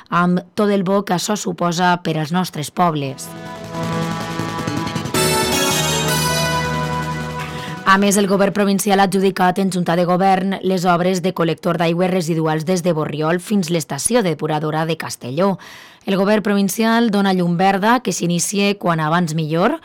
amb tot el bo que això suposa per als nostres pobles. A més, el govern provincial ha adjudicat en Junta de Govern les obres de col·lector d'aigües residuals des de Borriol fins l'estació depuradora de Castelló. El govern provincial dona llum verda que s'inicie quan abans millor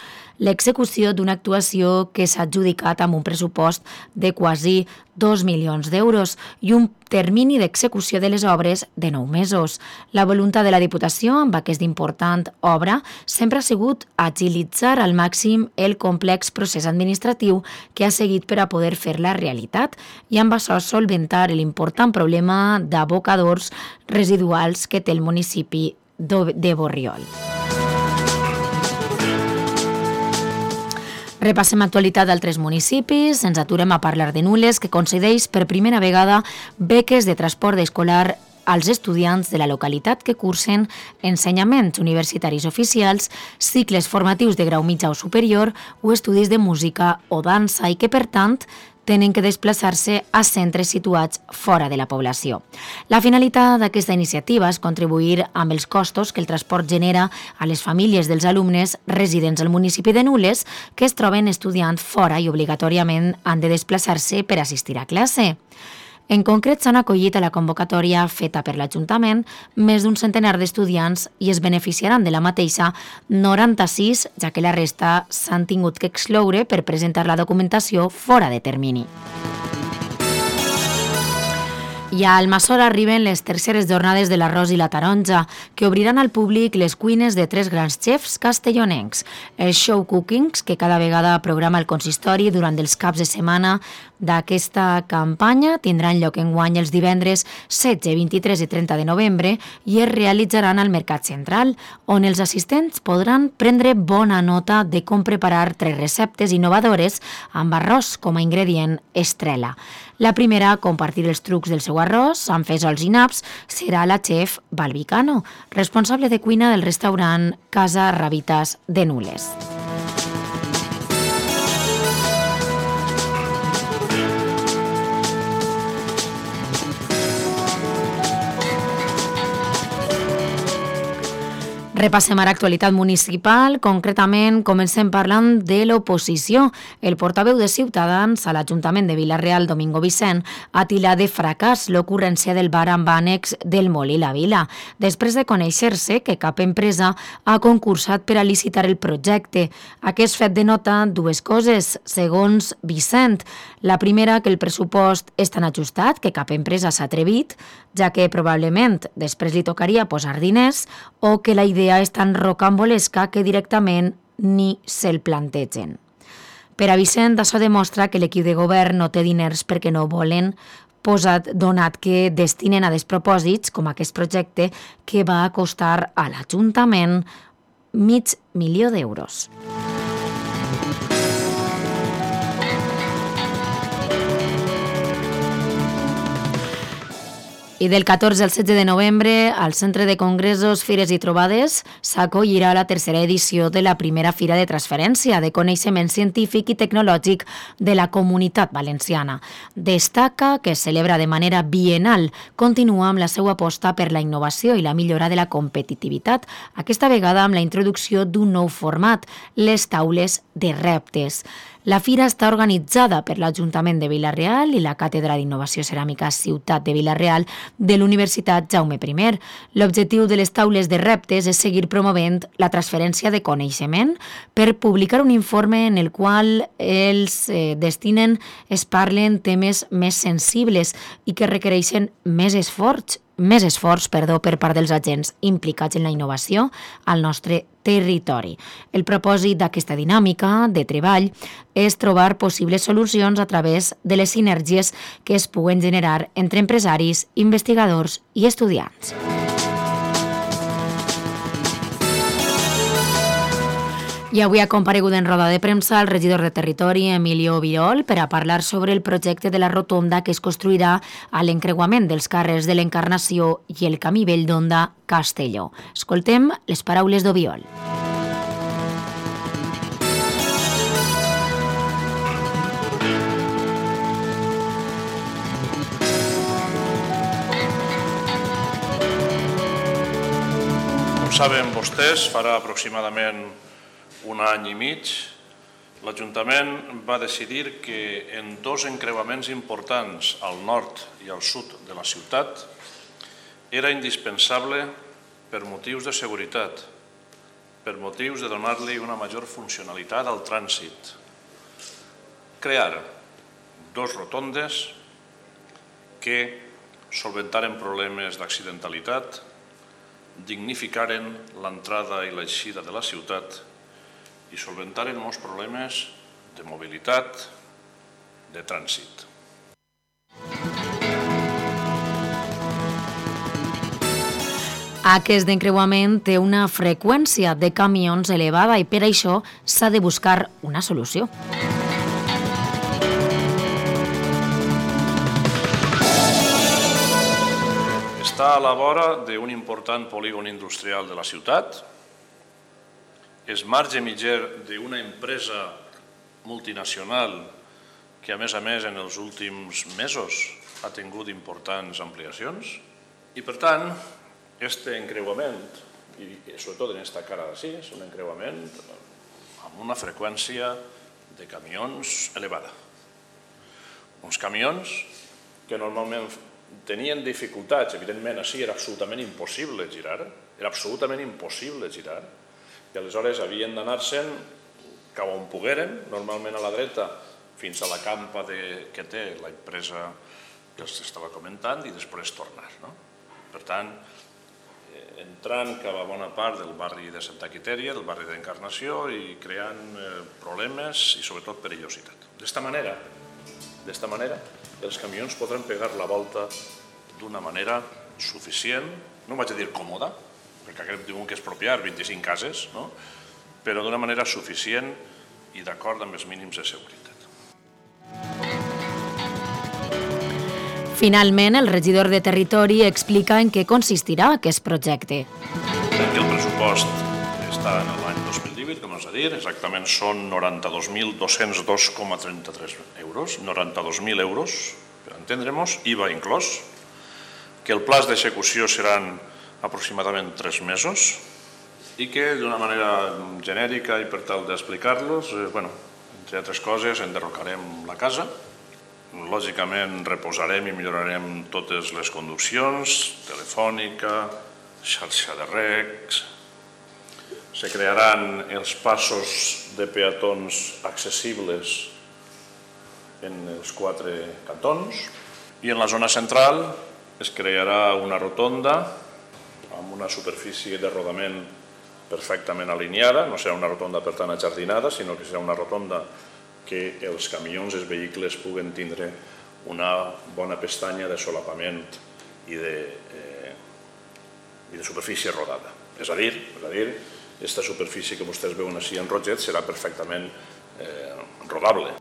l'execució d'una actuació que s'ha adjudicat amb un pressupost de quasi 2 milions d'euros i un termini d'execució de les obres de 9 mesos. La voluntat de la Diputació amb aquesta important obra sempre ha sigut agilitzar al màxim el complex procés administratiu que ha seguit per a poder fer-la realitat i amb això solventar l'important problema d'abocadors residuals que té el municipi de Borriol. Repassem actualitat d'altres municipis, ens aturem a parlar de Nules, que concedeix per primera vegada beques de transport escolar als estudiants de la localitat que cursen ensenyaments universitaris oficials, cicles formatius de grau mitjà o superior o estudis de música o dansa i que, per tant, tenen que desplaçar-se a centres situats fora de la població. La finalitat d'aquesta iniciativa és contribuir amb els costos que el transport genera a les famílies dels alumnes residents al municipi de Nules que es troben estudiant fora i obligatòriament han de desplaçar-se per assistir a classe. En concret, s'han acollit a la convocatòria feta per l'Ajuntament més d'un centenar d'estudiants i es beneficiaran de la mateixa 96, ja que la resta s'han tingut que excloure per presentar la documentació fora de termini. I a Almassora arriben les terceres jornades de l'arròs i la taronja, que obriran al públic les cuines de 3 grans xefs castellonencs. Els show cookings, que cada vegada programa el consistori durant els caps de setmana d'aquesta campanya, tindran lloc enguany els divendres 16, 23 i 30 de novembre i es realitzaran al Mercat Central, on els assistents podran prendre bona nota de com preparar 3 receptes innovadores amb arròs com a ingredient estrella. La primera a compartir els trucs del seu arròs amb fesols i naps serà la xef Balbicano, responsable de cuina del restaurant Casa Rabitas de Nules. Repassem ara actualitat municipal, concretament comencem parlant de l'oposició. El portaveu de Ciutadans a l'Ajuntament de Vila-real, Domingo Vicent, ha tilat de fracàs l'ocurrència del bar amb ànex del Molí La Vila, després de conèixer-se que cap empresa ha concursat per a licitar el projecte. Aquest fet denota dues coses, segons Vicent. La primera, que el pressupost és tan ajustat que cap empresa s'ha atrevit, ja que probablement després li tocaria posar diners, o que la idea és tan rocambolesca que directament ni se'l plantegen. Per a Vicent, això demostra que l'equip de govern no té diners perquè no volen, donat que destinen a despropòsits com aquest projecte que va costar a l'Ajuntament $500.000 d'euros. I del 14 al 16 de novembre, al Centre de Congressos, Fires i Trobades, s'acollirà la tercera edició de la primera Fira de Transferència de Coneixement Científic i Tecnològic de la Comunitat Valenciana. Destaca que es celebra de manera bienal, continua amb la seva aposta per la innovació i la millora de la competitivitat, aquesta vegada amb la introducció d'un nou format, les taules de reptes. La fira està organitzada per l'Ajuntament de Vila-real i la Càtedra d'Innovació Ceràmica Ciutat de Vila-real de l'Universitat Jaume I. L'objectiu de les taules de reptes és seguir promovent la transferència de coneixement per publicar un informe en el qual els es parlen temes més sensibles i que requereixen més esforç per part dels agents implicats en la innovació al nostre territori. El propòsit d'aquesta dinàmica de treball és trobar possibles solucions a través de les sinergies que es puguen generar entre empresaris, investigadors i estudiants. I avui ha comparegut en roda de premsa el regidor de Territori, Emilio Virol, per a parlar sobre el projecte de la rotonda que es construirà a l'encreuament dels carrers de l'Encarnació i el Camí Vell d'Onda Castelló. Escoltem les paraules d'Obiol. Com saben vostès, farà aproximadament un any i mig, l'Ajuntament va decidir que en dos encreuaments importants al nord i al sud de la ciutat era indispensable, per motius de seguretat, per motius de donar-li una major funcionalitat al trànsit, crear dos rotondes que solventaren problemes d'accidentalitat, dignificaren l'entrada i l'eixida de la ciutat i solventaren molts problemes de mobilitat, de trànsit. Aquest encreuament té una freqüència de camions elevada i per això s'ha de buscar una solució. Està a la vora d'un important polígon industrial de la ciutat, és marge mitger d'una empresa multinacional que, a més, en els últims mesos ha tingut importants ampliacions i, per tant, aquest encreuament, i sobretot en aquesta cara d'ací, és un encreuament amb una freqüència de camions elevada. Uns camions que normalment tenien dificultats, evidentment, així era absolutament impossible girar, i aleshores havien d'anar-se'n cap on pogueren, normalment a la dreta, fins a la campa que té l'empresa que els estava comentant i després tornar. Per tant, entrant cap a bona part del barri de Santa Quitèria, del barri d'Encarnació i creant problemes i sobretot perillositat. D'esta manera, els camions podran pegar la volta d'una manera suficient, no vaig a dir còmoda, perquè aquest diuen que és expropiar 25 cases, però d'una manera suficient i d'acord amb els mínims de seguretat. Finalment, el regidor de Territori explica en què consistirà aquest projecte. El pressupost està en l'any 2018, com us he dit, exactament són 92.202,33 euros, 92.000 euros, per entendre-nos, IVA inclòs, que el pla d'execució seran aproximadament 3 mesos i que d'una manera genèrica i per tal d'explicar-los, entre altres coses, enderrocarem la casa, lògicament reposarem i millorarem totes les conduccions, telefònica, xarxa de recs, se crearan els passos de peatons accessibles en els 4 cantons i en la zona central es crearà una rotonda amb una superfície de rodament perfectament alineada, no serà una rotonda per tant ajardinada, sinó que serà una rotonda que els camions i els vehicles puguen tindre una bona pestanya de solapament i de superfície rodada. És a dir, aquesta superfície que vostès veuen així en roget serà perfectament rodable.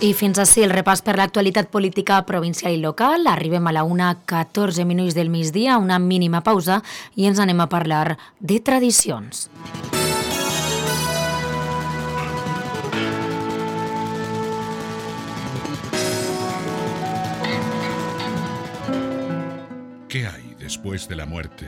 I fins ací el repàs per l'actualitat política provincial i local. Arribem a la 1:14 del migdia, una mínima pausa, i ens anem a parlar de tradicions. ¿Qué hay después de la muerte?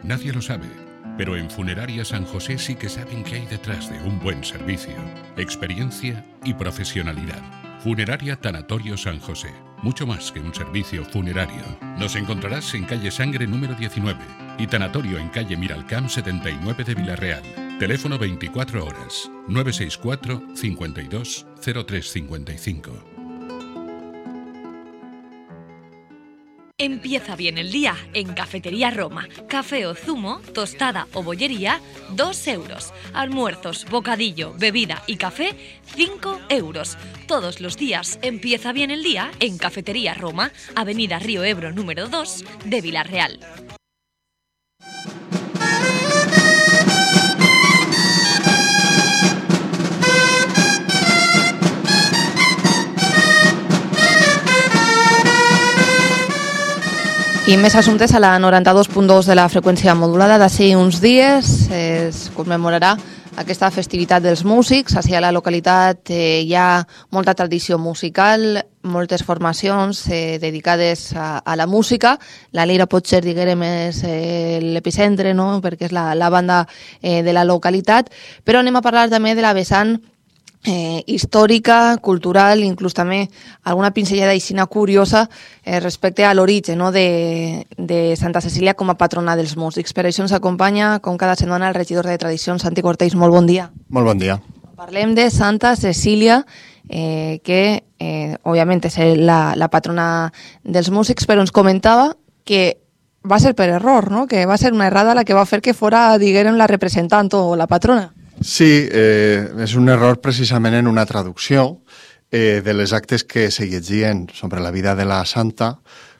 Nadie lo sabe, pero en Funeraria San José sí que saben qué hay detrás de un buen servicio, experiencia y profesionalidad. Funeraria Tanatorio San José, mucho más que un servicio funerario. Nos encontrarás en calle Sangre número 19 y Tanatorio en calle Miralcamp 79 de Villarreal. Teléfono 24 horas, 964 52 0355. Empieza bien el día en Cafetería Roma. Café o zumo, tostada o bollería, 2 euros. Almuerzos, bocadillo, bebida y café, 5 euros. Todos los días empieza bien el día en Cafetería Roma, Avenida Río Ebro número 2 de Villarreal. I més assumptes a la 92.2 de la freqüència modulada. D'ací uns dies es commemorarà aquesta festivitat dels músics. Així a la localitat hi ha molta tradició musical. moltes formacions dedicades a la música. La Lira potser, diguem, és l'epicentre, no?, perquè és la banda de la localitat, però anem a parlar també de la vessant històrica, cultural, inclús també alguna pinzellada aixina curiosa respecte a l'origen, no?, de Santa Cecília com a patrona dels músics. Per això ens acompanya, com cada setmana, el regidor de Tradicions, Santi Cortells. Molt bon dia. Molt bon dia. Parlem de Santa Cecília, que òbviament és la patrona dels músics, però ens comentava que va ser per error, no?, que va ser una errada la que va fer que fora, diguem, la representant o la patrona. Sí, és un error precisament en una traducció de les actes que se llegien sobre la vida de la santa.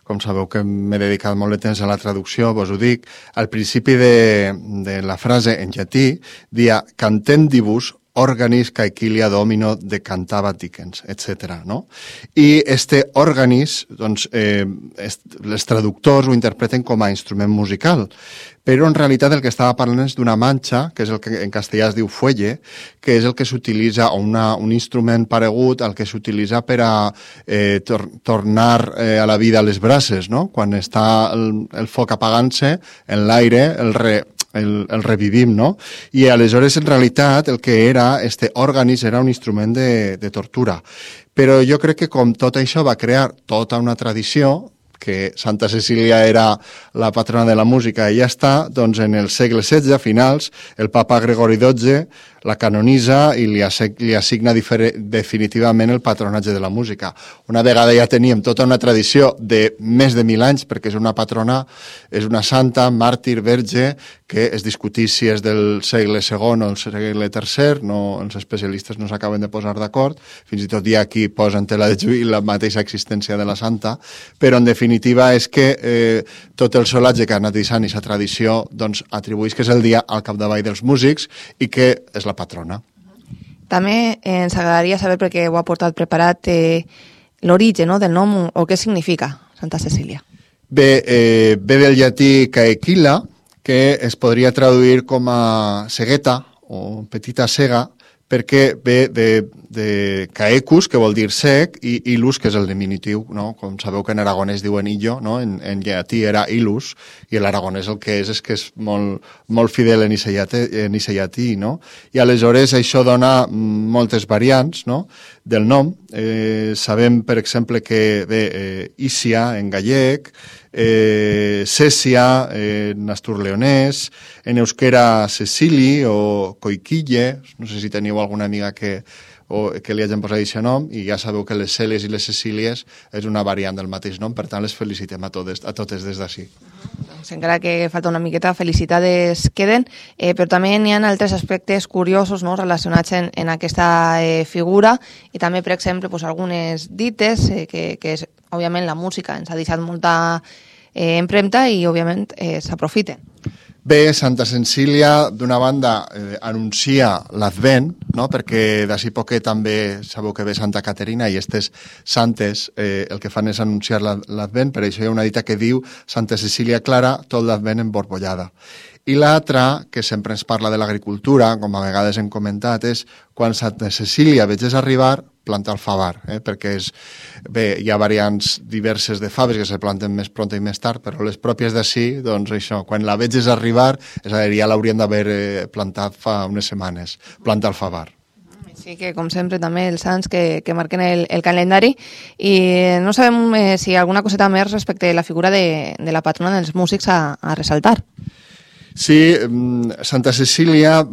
Com sabeu que m'he dedicat molt de temps a la traducció, vos ho dic, al principi de la frase en llatí dia cantendibus organis caequilia domino decantava dicens, etc. No? I este organis, doncs, els traductors ho interpreten com a instrument musical, però en realitat el que estava parlant és d'una manxa, que és el que en castellà es diu fuelle, que és el que s'utilitza, un instrument paregut al que s'utilitza per a tornar a la vida les brases, no? Quan està el foc apagant-se, en l'aire el revivim, no? I aleshores, en realitat, el que era este òrganis era un instrument de tortura. Però jo crec que com tot això va crear tota una tradició, que Santa Cecília era la patrona de la música i ja està, doncs en el segle XVI, a finals, el papa Gregori XII la canonitza i li assigna definitivament el patronatge de la música. Una vegada ja teníem tota una tradició de més de 1.000 anys, perquè és una patrona, és una santa, màrtir, verge, que es discutís si és del segle II o el segle III, no, els especialistes no s'acaben de posar d'acord, fins i tot hi ha qui posa en tela de juí la mateixa existència de la santa, però en definitiva és que tot el solatge que ha anat deixant i la tradició doncs, atribueix que és el dia al capdavall dels músics i que és la patrona. També ens agradaria saber, perquè ho ha portat preparat, l'origen, no?, del nom o què significa Santa Cecília. Ve del llatí caequila, que es podria traduir com a cegueta o petita cega, perquè ve de caecus, que vol dir sec, i ilus, que és el diminutiu, no? Com sabeu que en aragonès diuen illo, no? En llatí era ilus, i l'aragonès el que és que és molt fidel en ese llatí, no? I aleshores això dona moltes variants, no?, del nom. Sabem, per exemple, que ve Ícia en gallec, Cècia en asturleonès, en euskera Cecili o Coiquille, no sé si teniu alguna amiga que li hagin posat aquest nom, i ja sabeu que les Cèlies i les Cecílies és una variant del mateix nom, per tant les felicitem a totes des d'ací. Doncs encara que falta una miqueta, felicitats queden, però també n'hi ha altres aspectes curiosos, no?, relacionats en aquesta figura, i també, per exemple, algunes dites que és, òbviament, la música ens ha deixat molta empremta i, òbviament, s'aprofiten. Bé, Santa Cecília, d'una banda, anuncia l'Advent, no?, perquè d'ací poquet també sabeu que ve Santa Caterina i aquestes santes el que fan és anunciar l'Advent, per això hi ha una dita que diu Santa Cecília Clara, tot l'Advent emborbollada. I l'altra, que sempre ens parla de l'agricultura, com a vegades hem comentat, és quan Santa Cecília veges arribar, planta el favar, perquè hi ha variants diverses de faves que se planten més pront i més tard, però les pròpies d'ací, doncs això, quan la veges arribar, és a dir, ja l'haurien d'haver plantat fa unes setmanes, planta el favar. Sí, que com sempre també els sants que marquen el calendari, i no sabem si hi ha alguna coseta més respecte a la figura de la patrona dels músics a ressaltar. Sí, Santa Cecília,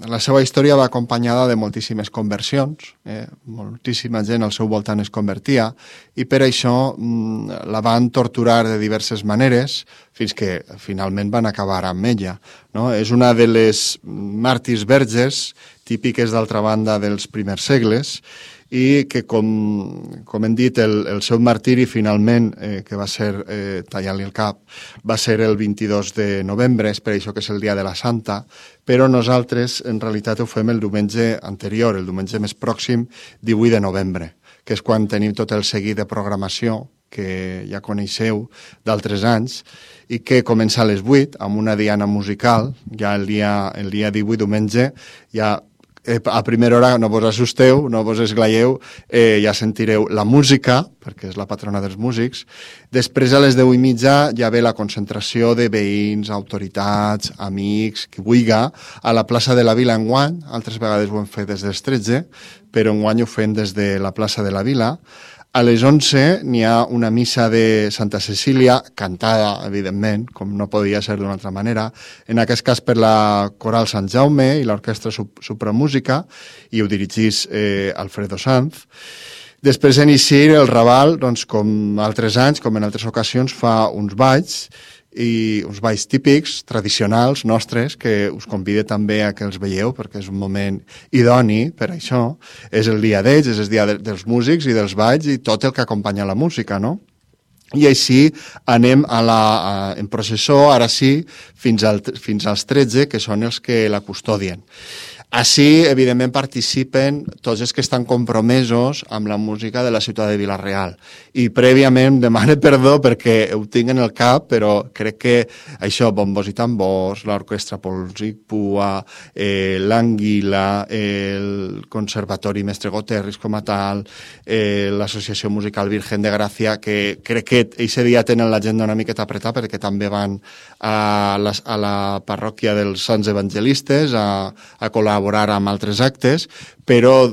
la seva història va acompanyada de moltíssimes conversions, moltíssima gent al seu voltant es convertia, i per això la van torturar de diverses maneres fins que finalment van acabar amb ella, no? És una de les màrtirs verges típiques, d'altra banda, dels primers segles, i que, com hem dit, el seu martiri finalment, que va ser tallar-li el cap, va ser el 22 de novembre, és per això que és el dia de la Santa, però nosaltres en realitat ho fem el diumenge anterior, el diumenge més pròxim, 18 de novembre, que és quan tenim tot el seguit de programació que ja coneixeu d'altres anys, i que comença a les 8 amb una diana musical. Ja el dia 18, diumenge, ja a primera hora no vos assusteu, no vos esglaieu, ja sentireu la música, perquè és la patrona dels músics. Després, a les 10:30, ja ve la concentració de veïns, autoritats, amics, qui vulga, a la plaça de la Vila enguany. Altres vegades ho hem fet des dels 13, però enguany ho fem des de la plaça de la Vila. A les 11 n'hi ha una missa de Santa Cecília, cantada, evidentment, com no podia ser d'una altra manera, en aquest cas per la Coral Sant Jaume i l'Orquestra Supramúsica, i ho dirigís Alfredo Sanz. Després d'inici el Raval, doncs, com altres anys, com en altres ocasions, fa uns balls típics, tradicionals, nostres, que us convide també a que els veieu, perquè és un moment idoni per això. És el dia d'ells, és el dia dels músics i dels balls i tot el que acompanya la música, no? I així anem en processó, ara sí, fins als 13, que són els que la custodien. Així, evidentment, participen tots els que estan compromesos amb la música de la ciutat de Vila-real. I prèviament demane perdó perquè ho tinc en el cap, però crec que això, bombos i tambors, l'Orquestra Polsic Pua, l'Anguila, el Conservatori Mestre Goterris com a tal, l'Associació Musical Virgen de Gràcia, que crec que aquest dia tenen l'agenda una miqueta apretada perquè també van a la parròquia dels Sants Evangelistes a col·laborar amb altres actes, però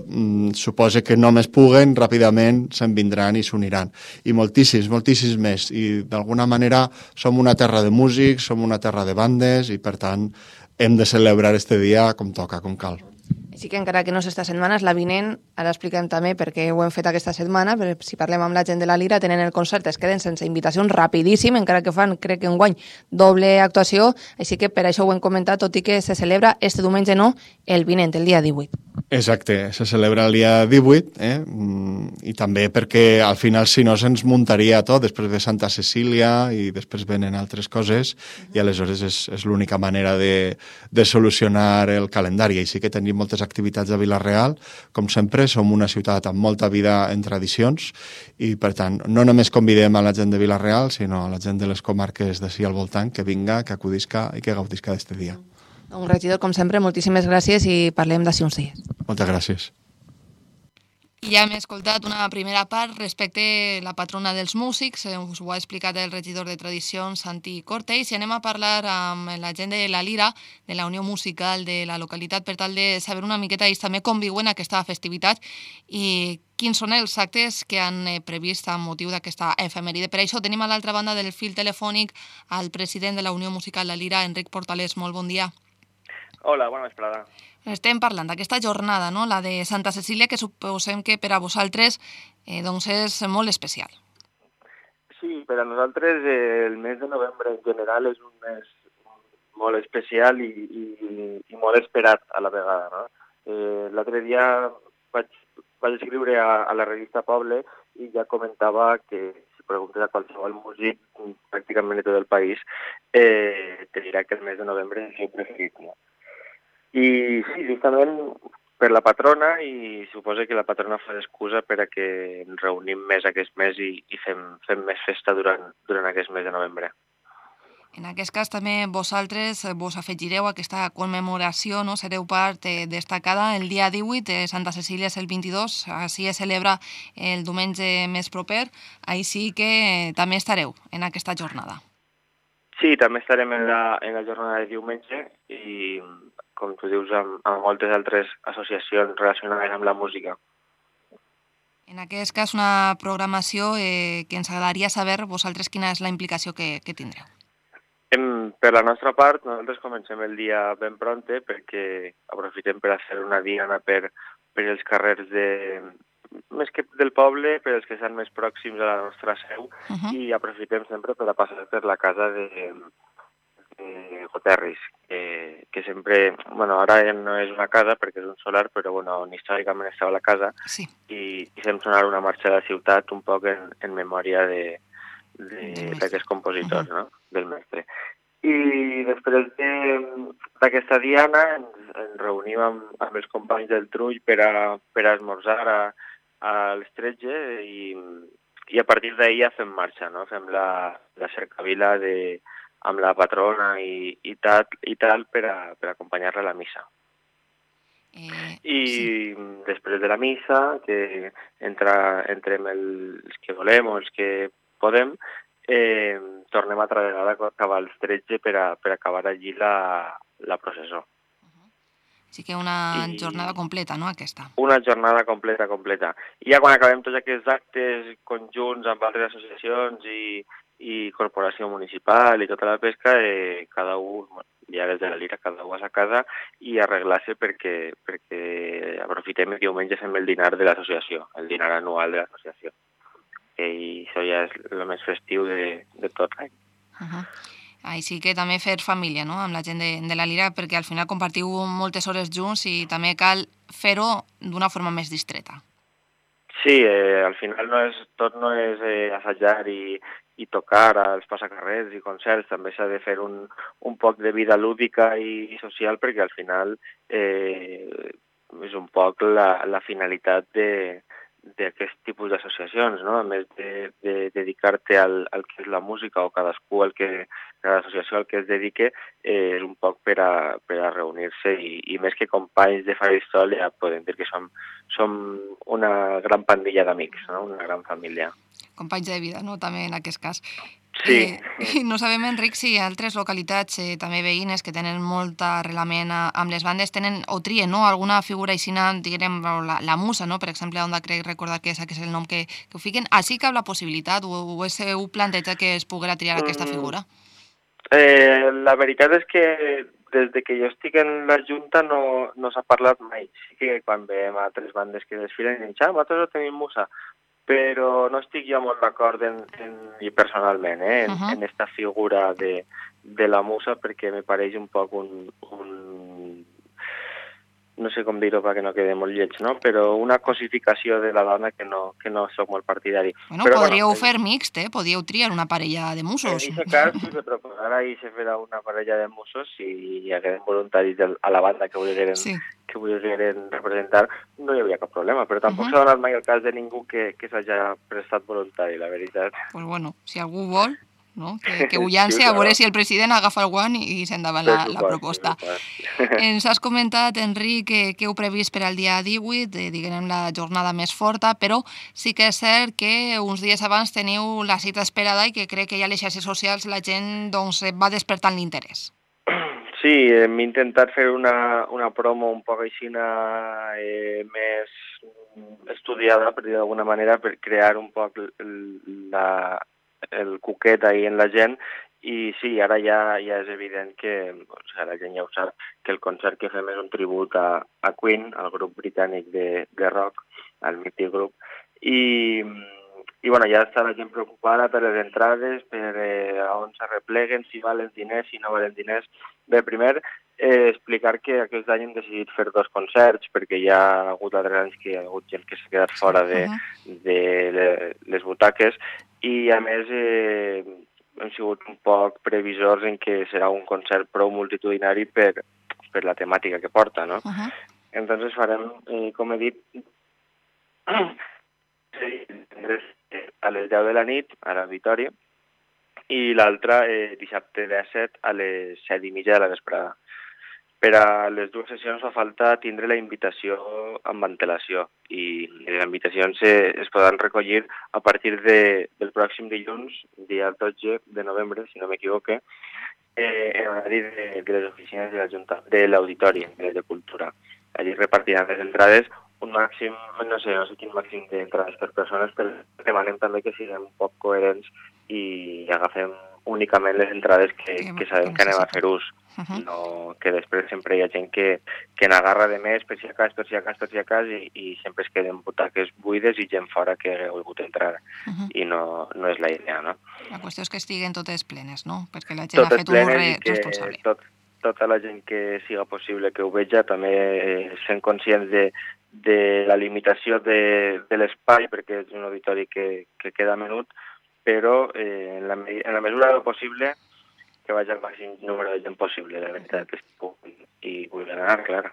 suposa que només puguen, ràpidament se'n vindran i s'uniran. I moltíssims més. I d'alguna manera som una terra de músics, som una terra de bandes i per tant hem de celebrar este dia com toca, com cal. Així que encara que no és esta setmana, és la vinent, ara expliquem també perquè ho hem fet aquesta setmana, però si parlem amb la gent de la Lira, tenen el concert, es queden sense invitacions rapidíssim, encara que fan, crec que enguany, doble actuació, així que per això ho hem comentat, tot i que se celebra este diumenge no, el vinent, el dia 18. Exacte, se celebra el dia 18, i també perquè al final si no se'ns muntaria tot, després ve Santa Cecília i després venen altres coses i aleshores és l'única manera de solucionar el calendari. Així que tenim moltes activitats a Vila-real, com sempre, som una ciutat amb molta vida en tradicions i per tant no només convidem a la gent de Vila-real, sinó a la gent de les comarques d'ací al voltant que vinga, que acudisca i que gaudisca d'este dia. Doncs, regidor, com sempre, moltíssimes gràcies i parlem d'ací uns dies. Moltes gràcies. I ja hem escoltat una primera part respecte a la patrona dels músics, us ho ha explicat el regidor de Tradicions, Santi Cortés, i anem a parlar amb la gent de la Lira, de la Unió Musical de la localitat, per tal de saber una miqueta ells també com viuen aquesta festivitat i quins són els actes que han previst amb motiu d'aquesta efemèride. Per això tenim a l'altra banda del fil telefònic al president de la Unió Musical La Lira, Enric Portalés. Molt bon dia. Hola, bona vesprada. Estem parlant d'aquesta jornada, no? La de Santa Cecília, que suposem que per a vosaltres doncs és molt especial. Sí, per a nosaltres el mes de novembre en general és un mes molt especial i molt esperat a la vegada, no? L'altre dia vaig escriure a la revista Poble i ja comentava que si preguntes a qualsevol músic pràcticament de tot el país te dirà que el mes de novembre és el seu preferit, no? I sí, justament per la patrona, i suposo que la patrona fa d'excusa per a que ens reunim més aquest mes i fem més festa durant aquest mes de novembre. En aquest cas també vosaltres vos afegireu a aquesta commemoració, no? Sereu part destacada el dia 18, Santa Cecília és el 22, així es celebra el diumenge més proper, així que també estareu en aquesta jornada. Sí, també estarem en la jornada de diumenge i, com tu dius, amb moltes altres associacions relacionades amb la música. En aquest cas, una programació que ens agradaria saber vosaltres quina és la implicació que tindreu. Per la nostra part, nosaltres comencem el dia ben pronte perquè aprofitem per a fer una diana per els carrers més que del poble, per els que estan més pròxims a la nostra seu, i aprofitem sempre per a passar per la casa de Goterris, que sempre, bueno, ara ja no és una casa perquè és un solar, però bueno, on històricament estava la casa, sí. i fem sonar una marxa de la ciutat un poc en memòria d'aquest compositor, no? Del mestre. I després d'aquesta diana ens reunim amb els companys del Trull per a esmorzar a les 13 i a partir d'ahir ja fem marxa, no? Fem la cercavila amb la patrona i tal per acompanyar-la a la missa. I després de la missa, que entrem els que volem o els que podem, tornem altra vegada a acabar els 13 per acabar allí la processó. Sí que una jornada completa, no, aquesta? Una jornada completa. I ja quan acabem tots aquests actes conjunts amb altres associacions i corporació municipal i tota la pesca, cada un, ja des de la Lira, cada un a sa casa i arreglar-se perquè aprofitem el diumenge fem el dinar de l'associació, el dinar anual de l'associació. I això ja és el més festiu de tot l'any. Així que també fer família, no?, amb la gent de la Lira, perquè al final compartiu moltes hores junts i també cal fer-ho d'una forma més distreta. Sí, al final tot no és assajar i tocar als passacarrers i concerts, també s'ha de fer un poc de vida lúdica i social perquè al final és un poc la finalitat d'aquest tipus d'associacions, no? A més de dedicar-te al que és la música o cada associació al que es dedique, és un poc per a reunir-se i més que companys de faristol ja podem dir que som una gran pandilla d'amics, no? Una gran família. Companys de vida, no?, també en aquest cas. Sí. No sabem, Enric, si altres localitats també veïnes que tenen molt arrelament amb les bandes tenen o trien, no?, alguna figura aixina, diguem, la musa, no?, per exemple, on crec recordar que és el nom que ho fiquen. Així que hi ha la possibilitat o heu plantejat que es poguera triar aquesta figura? La veritat és que des de que jo estic en la Junta no s'ha parlat mai. Sí que quan veiem altres bandes que desfilen i diuen, nosaltres no tenim musa, però no estic jo molt d'acord i personalment en esta figura de la musa perquè me pareix un poc no sé com dir-ho perquè no quedi molt lleig, no? Però una cosificació de la dona que no soc molt partidari. Bueno, però, podríeu fer mixt, podíeu triar una parella de musos. En aquest cas, si me proposara i se fera una parella de musos, si hi hagués voluntaris a la banda que volgueren representar, no hi hauria cap problema, però tampoc s'ha donat mai el cas de ningú que s'hagi prestat voluntari, la veritat. Pues bueno, si algú vol, no? Que ho llanci, a veure si el president agafa el guant i s'endavant la proposta. Ens has comentat, Enric, que heu previst per al dia 18, diguem la jornada més forta, però sí que és cert que uns dies abans teniu la cita esperada i que crec que ja a les xarxes socials la gent va despertant l'interès. Sí, hem intentat fer una promo un poc així més estudiada, per dir d'alguna manera, per crear un poc el cuquet ahí en la gent i sí, ara ja és evident que la gent ja ho sap, que el concert que fem és un tribut a Queen, al grup britànic de rock, al mític grup, i bueno, ja està la gent preocupada per les entrades, per on s'arrepleguen, si valen diners, si no valen diners. Bé, primer, explicar que aquest any hem decidit fer 2 concerts, perquè hi ha hagut altres anys que hi ha hagut gent que s'ha quedat fora de les butaques, i a més hem sigut un poc previsors en què serà un concert prou multitudinari per la temàtica que porta, no? Entonces farem, com he dit, a les 10 de la nit a l'auditori i l'altra dissabte 17 a les 7:30 de la vesprada. Per a les 2 sessions fa falta tindre la invitació amb antelació i les invitacions es poden recollir a partir del pròxim dilluns, dia 12 de novembre, si no m'equivoque, en horari de les oficines de la Junta, de l'Auditori, de Cultura. Allí repartiran les entrades un màxim, no sé quin màxim d'entrades per persones, però demanem també que siguem un poc coherents i agafem únicament les entrades que sabem que anem a fer ús. No, que després sempre hi ha gent que n'agarra de més per si a cas i sempre es queden butaques buides i gent fora que ha volgut entrar i no és la idea, no? La qüestió és que estiguen totes plenes, no? Perquè la gent ha fet un ús responsable. Tota la gent que siga possible que ho veja, també sent conscients de la limitació de l'espai, perquè és un auditori que queda menut, però en la mesura del possible que vagi al màxim número de gent possible, la veritat, i vull anar, clar.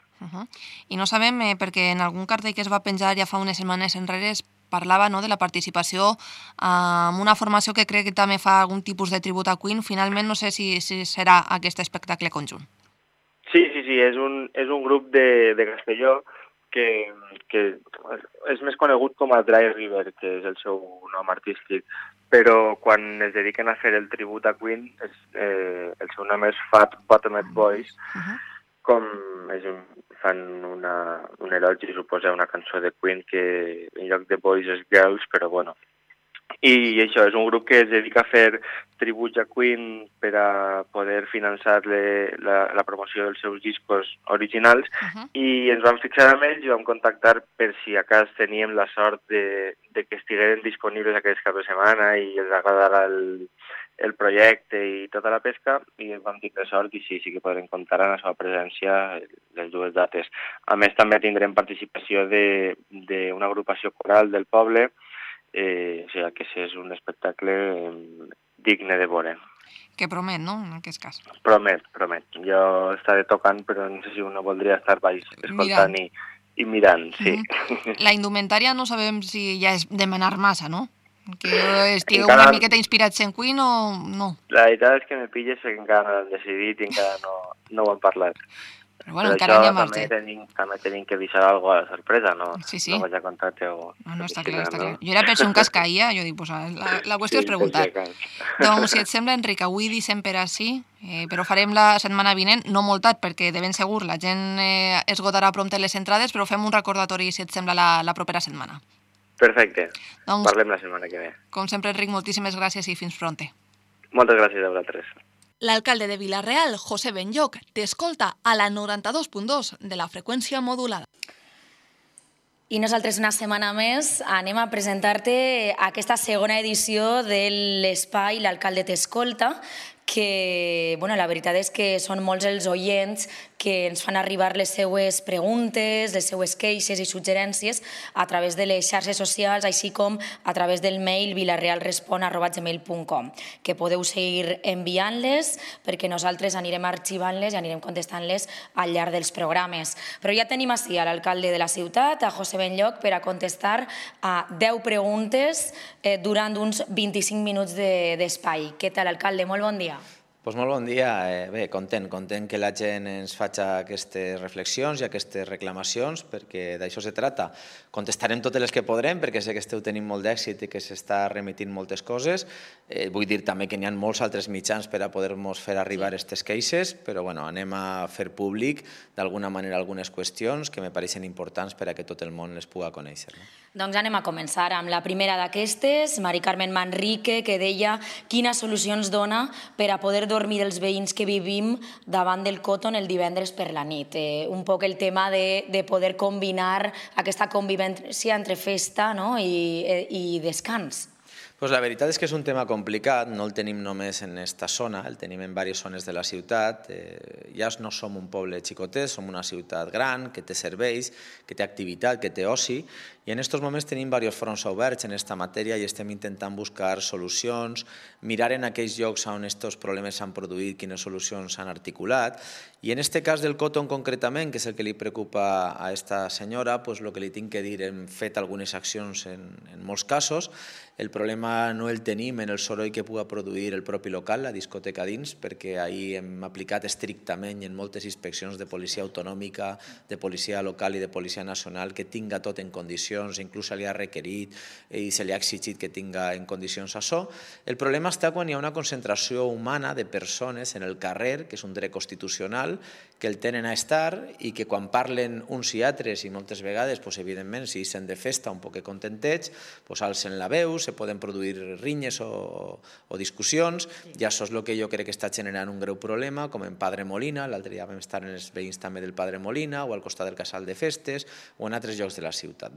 I no sabem, perquè en algun cartell que es va penjar ja fa unes setmanes enrere es parlava de la participació en una formació que crec que també fa algun tipus de tribut a Queen. Finalment no sé si serà aquest espectacle conjunt. Sí, sí, és un grup de Castelló que és més conegut com a Dry River, que és el seu nom artístic, però quan es dediquen a fer el tribut a Queen, el seu nom és Fat Bottomed Boys, com fan un elogi, suposa, una cançó de Queen que en lloc de boys és girls, però bueno. I això, és un grup que es dedica a fer tributs a Queen per a poder finançar la promoció dels seus discos originals i ens vam fixar amb ells i vam contactar per si a cas teníem la sort de que estigueren disponibles aquest cap de setmana i els agradara el projecte i tota la pesca i vam tindre sort i sí que podrem comptar amb la seva presència les dues dates. A més també tindrem participació d'una agrupació coral del poble, o sigui que és un espectacle digne de veure. Que promet, no?, en aquest cas. Promet. Jo estaré tocant, però no sé si uno voldria estar baix escoltant i mirant, sí. La indumentària no sabem si ja és demanar massa, no? Que estigueu una miqueta inspirats en Queen o no? La veritat és que me pilles que encara no l'hem decidit i encara no ho hem parlat. Però bueno, encara n'hi ha marge. També tenim que deixar alguna cosa de sorpresa, no? Sí. No vaig a contar-te o... No, està clar. Jo era per ser un cascaïa, jo dic, pues, la qüestió és preguntar. Doncs, si et sembla, Enric, avui deixem per així, però farem la setmana vinent, no molt tard, perquè de ben segur la gent esgotarà prompte les entrades, però fem un recordatori, si et sembla, la propera setmana. Perfecte. Parlem la setmana que ve. Com sempre, Enric, moltíssimes gràcies i fins pronte. Moltes gràcies a vosaltres. L'alcalde de Vila-real, José Benlloc, t'escolta a la 92.2 de la freqüència modulada. I nosaltres una setmana més anem a presentar-te aquesta segona edició de l'espai L'alcalde t'escolta, que la veritat és que són molts els oients que ens fan arribar les seues preguntes, les seues queixes i suggerències a través de les xarxes socials, així com a través del mail vilarealrespon@gmail.com, que podeu seguir enviant-les perquè nosaltres anirem arxivant-les i anirem contestant-les al llarg dels programes. Però ja tenim així a l'alcalde de la ciutat, a José Benlloc, per a contestar a 10 preguntes durant uns 25 minuts d'espai. Què tal, alcalde? Molt bon dia. Doncs molt bon dia. Bé, content que la gent ens faci aquestes reflexions i aquestes reclamacions, perquè d'això se trata. Contestarem totes les que podrem, perquè sé que esteu tenint molt d'èxit i que s'està remitint moltes coses. Vull dir també que n'hi ha molts altres mitjans per a poder-nos fer arribar aquestes queixes, però anem a fer públic d'alguna manera algunes qüestions que me pareixen importants per a que tot el món les pugui conèixer. Doncs anem a començar amb la primera d'aquestes, Mari Carmen Manrique, que deia quines solucions dona per a poder dormir els veïns que vivim davant del Cotton el divendres per la nit. Un poc el tema de poder combinar aquesta convivència entre festa i descans. Pues la veritat és que és un tema complicat, no el tenim només en aquesta zona, el tenim en diverses zones de la ciutat. Ja no som un poble xicotet, som una ciutat gran, que té serveis, que té activitat, que té oci, i en aquests moments tenim diversos fronts oberts en aquesta matèria i estem intentant buscar solucions, mirar en aquells llocs on aquests problemes s'han produït, quines solucions s'han articulat. I en aquest cas del Cotton concretament, que és el que li preocupa a aquesta senyora, el que li tinc que dir, hem fet algunes accions en molts casos. El problema no el tenim en el soroll que pugui produir el propi local, la discoteca dins, perquè ahir hem aplicat estrictament i en moltes inspeccions de policia autonòmica, de policia local i de policia nacional que tinga tot en condicions, inclús se li ha requerit i se li ha exigit que tinga en condicions això. El problema està quan hi ha una concentració humana de persones en el carrer, que és un dret constitucional, que el tenen a estar i que quan parlen uns i altres, i moltes vegades, evidentment, si ixen de festa un poc contentets, alcen la veu, se poden produir rinyes o discussions, i això és el que jo crec que està generant un greu problema, com en Padre Molina, l'altre dia vam estar en els veïns també del Padre Molina, o al costat del Casal de Festes, o en altres llocs de la ciutat.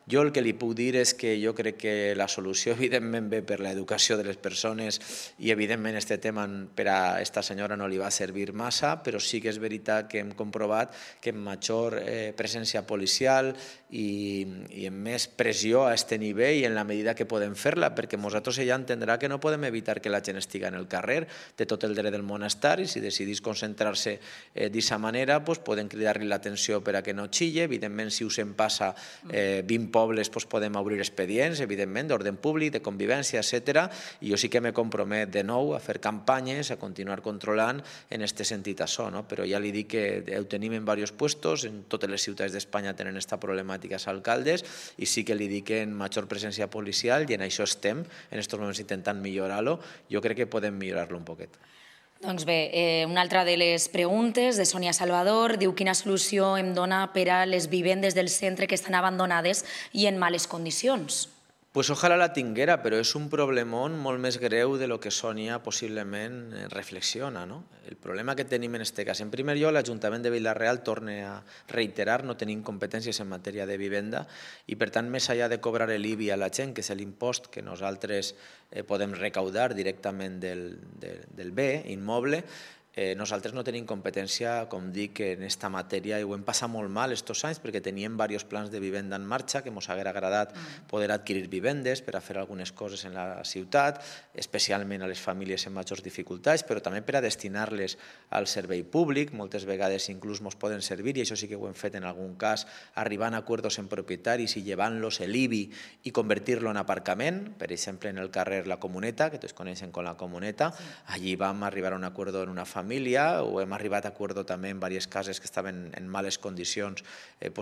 Jo el que li puc dir és que jo crec que la solució evidentment ve per l'educació de les persones i evidentment aquest tema per a aquesta senyora no li va servir massa, però sí que és veritat que hem comprovat que amb major presència policial i amb més pressió a aquest nivell i en la medida que podem podem fer-la, perquè nosaltres ella entendrà que no podem evitar que la gent estiga en el carrer, té tot el dret del món a estar, i si decidís concentrar-se d'aquesta manera, podem cridar-li l'atenció per a que no xille. Evidentment, si us en passa 20 pobles, podem obrir expedients, evidentment, d'ordre públic, de convivència, etc. I jo sí que me compromet de nou a fer campanyes, a continuar controlant en aquest sentit això, però ja li dic que ho tenim en diversos puestos, en totes les ciutats d'Espanya tenen aquesta problemàtica als alcaldes, i sí que li dic que en major presència policial, i en això estem en aquests moments intentant millorar-lo. Jo crec que podem millorar-lo un poquet. Doncs bé, una altra de les preguntes de Sònia Salvador diu quina solució em dona per a les vivendes del centre que estan abandonades i en males condicions. Pues ojalà la tinguera, però és un problemón molt més greu de lo que Sònia possiblement reflexiona. El problema que tenim en aquest cas, en primer lloc, l'Ajuntament de Vila-real, torna a reiterar, no tenim competències en matèria de vivenda i, per tant, més enllà de cobrar l'IBI a la gent, que és l'impost que nosaltres podem recaudar directament del bé immoble, nosaltres no tenim competència, com dic, en aquesta matèria, i ho hem passat molt mal aquests anys perquè teníem diversos plans de vivenda en marxa que ens hauria agradat poder adquirir vivendes per a fer algunes coses en la ciutat, especialment a les famílies amb majors dificultats, però també per a destinar-les al servei públic. Moltes vegades inclús ens poden servir, i això sí que ho hem fet en algun cas, arribant a acords amb propietaris i llevant-los l'IBI i convertir-lo en aparcament, per exemple en el carrer La Comuneta, que tots coneixen com La Comuneta. Allí vam arribar a un acord en una família, o hem arribat a acord també en diverses cases que estaven en males condicions,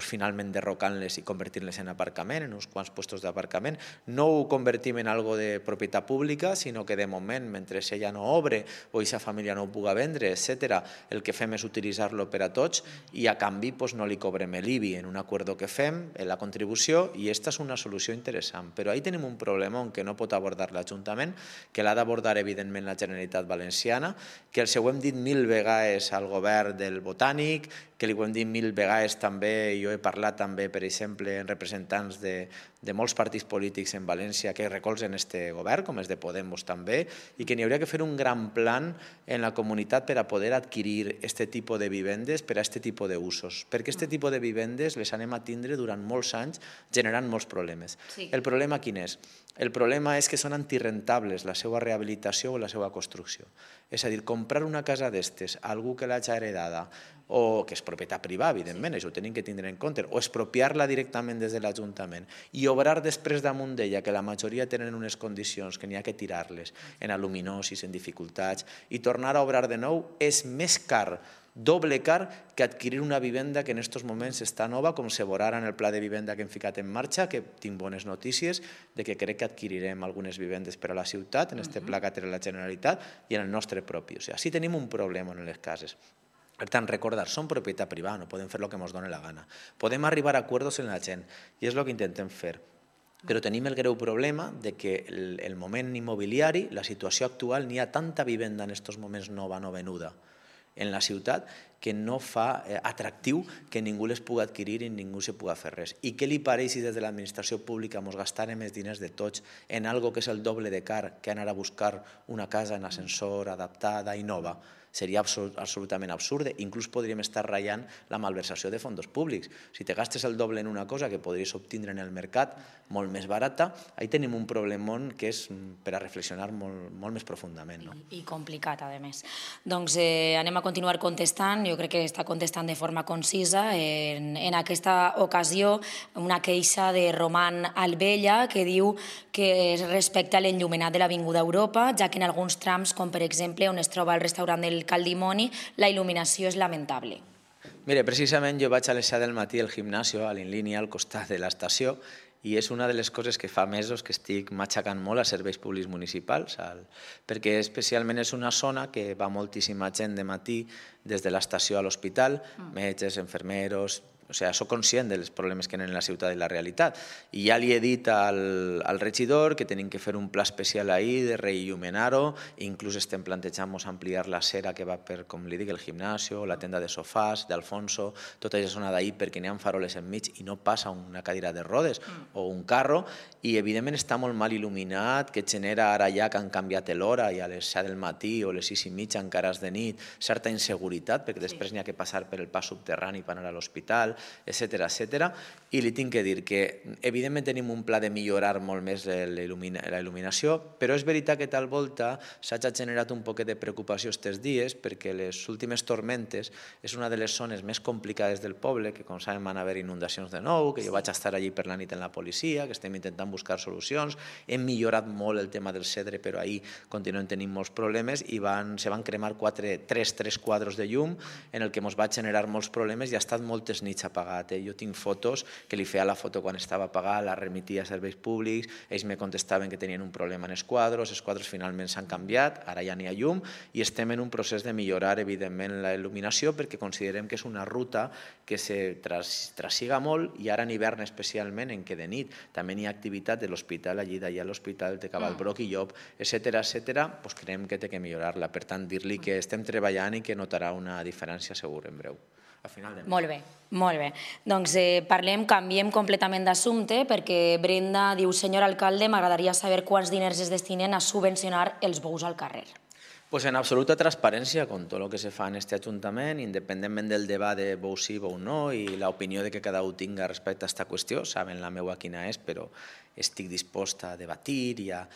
finalment derrocant-les i convertir-les en aparcament, en uns quants puestos d'aparcament. No ho convertim en algo de propietat pública, sinó que de moment, mentre ella no obre o aquesta família no ho puga vendre, etc., el que fem és utilitzar-lo per a tots i a canvi no li cobrem l'IBI en un acord que fem, en la contribució, i aquesta és una solució interessant. Però ahí tenim un problema que no pot abordar l'Ajuntament, que l'ha d'abordar evidentment la Generalitat Valenciana, que els ho hem dit 1000 vegades al govern del Botànic, que li ho hem dit 1000 vegades també, jo he parlat també, per exemple, en representants de molts partits polítics en València que recolzen aquest govern, com és de Podemos també, i que n'hi hauria que fer un gran plan en la comunitat per a poder adquirir aquest tipus de vivendes per a aquest tipus d'usos, perquè aquest tipus de vivendes les anem a tindre durant molts anys generant molts problemes. El problema quin és? El problema és que són antirrentables la seva rehabilitació o la seva construcció. És a dir, comprar una casa d'estes a algú que l'hagi heredada, o que és propietat privada, evidentment, això ho tenim que tindre en compte, o expropiar-la directament des de l'Ajuntament i obrar després damunt d'ella, que la majoria tenen unes condicions que n'hi ha que tirar-les, en aluminosis, en dificultats, i tornar a obrar de nou és més car, doble car, que adquirir una vivenda que en aquests moments està nova, com se veurà en el pla de vivenda que hem ficat en marxa, que tinc bones notícies de que crec que adquirirem algunes vivendes per a la ciutat, en aquest pla que té la Generalitat i en el nostre propi. O sigui, sí tenim un problema en les cases. Per tant, recordar, som propietat privada, no podem fer el que ens doni la gana. Podem arribar a acords en la gent, i és el que intentem fer. Però tenim el greu problema de que el moment immobiliari, la situació actual, n'hi ha tanta vivenda en aquests moments nova, no venuda, en la ciutat, que no fa atractiu que ningú les pugui adquirir i ningú se pugui fer res. I què li pareix si des de l'administració pública ens gastarem els diners de tots en algo que és el doble de car que anar a buscar una casa en ascensor, adaptada i nova? Seria absolutament absurd. Inclús podríem estar ratllant la malversació de fons públics. Si te gastes el doble en una cosa que podries obtindre en el mercat molt més barata, ahí tenim un problemón que és per a reflexionar molt més profundament. I complicat, a més. Doncs anem a continuar contestant. Jo crec que està contestant de forma concisa. En aquesta ocasió, una queixa de Roman Albella que diu que es respecta l'enllumenat de l'Avinguda Europa, ja que en alguns trams, com per exemple on es troba el restaurant del Caldimoni, la il·luminació és lamentable. Mire, precisament jo vaig a les 7 del matí al gimnasio, a l'Inlínia, al costat de l'estació, i és una de les coses que fa mesos que estic matxacant molt a serveis públics municipals, perquè especialment és una zona que va moltíssima gent de matí des de l'estació a l'hospital, metges, infermeros. O sigui, soc conscient dels problemes que tenen la ciutat i la realitat. I ja li he dit al regidor que tenim que fer un pla especial ahir de reil·luminar-ho, inclús estem plantejant ampliar la cera que va per, com li dic, el gimnasio, la tenda de sofàs, d'Alfonso, tota aquesta zona d'ahir perquè n'hi ha faroles enmig i no passa una cadira de rodes o un carro, i evidentment està molt mal il·luminat, que genera ara ja que han canviat l'hora i a les 7 del matí o les 6:30 encara és de nit, certa inseguretat, perquè després n'hi ha que passar per el pas subterrani per anar a l'hospital, etc. I li tinc que dir que, evidentment, tenim un pla de millorar molt més la il·luminació, però és veritat que tal volta s'ha generat un poquet de preocupació aquests dies perquè les últimes tormentes és una de les zones més complicades del poble, que com saben van haver inundacions de nou, que jo vaig estar allí per la nit en la policia, que estem intentant buscar solucions, hem millorat molt el tema del cedre, però ahir continuem tenint molts problemes i se van cremar tres quadres de llum en el que ens va generar molts problemes i ha estat moltes nits apagat. Jo tinc fotos que li feia la foto quan estava apagat, la remitia a serveis públics, ells me contestaven que tenien un problema en els quadres finalment s'han canviat, ara ja n'hi ha llum i estem en un procés de millorar evidentment la il·luminació perquè considerem que és una ruta que se trassiga molt i ara en hivern especialment en què de nit també n'hi ha activitat de l'hospital, allí d'allà a l'hospital de Cavalbroc i Llop, etc. Doncs creiem que té que millorar-la. Per tant, dir-li que estem treballant i que notarà una diferència segur en breu. Molt bé, molt bé. Doncs canviem completament d'assumpte perquè Brenda diu, senyor alcalde, m'agradaria saber quants diners es destinen a subvencionar els bous al carrer. Pues en absoluta transparencia con todo lo que se fa en este Ajuntament, independentment del debat de bou sí, bou no, i l'opinió de que cada un tinga respecte a aquesta qüestió, saben la meua quina és, però estic disposta a debatir i a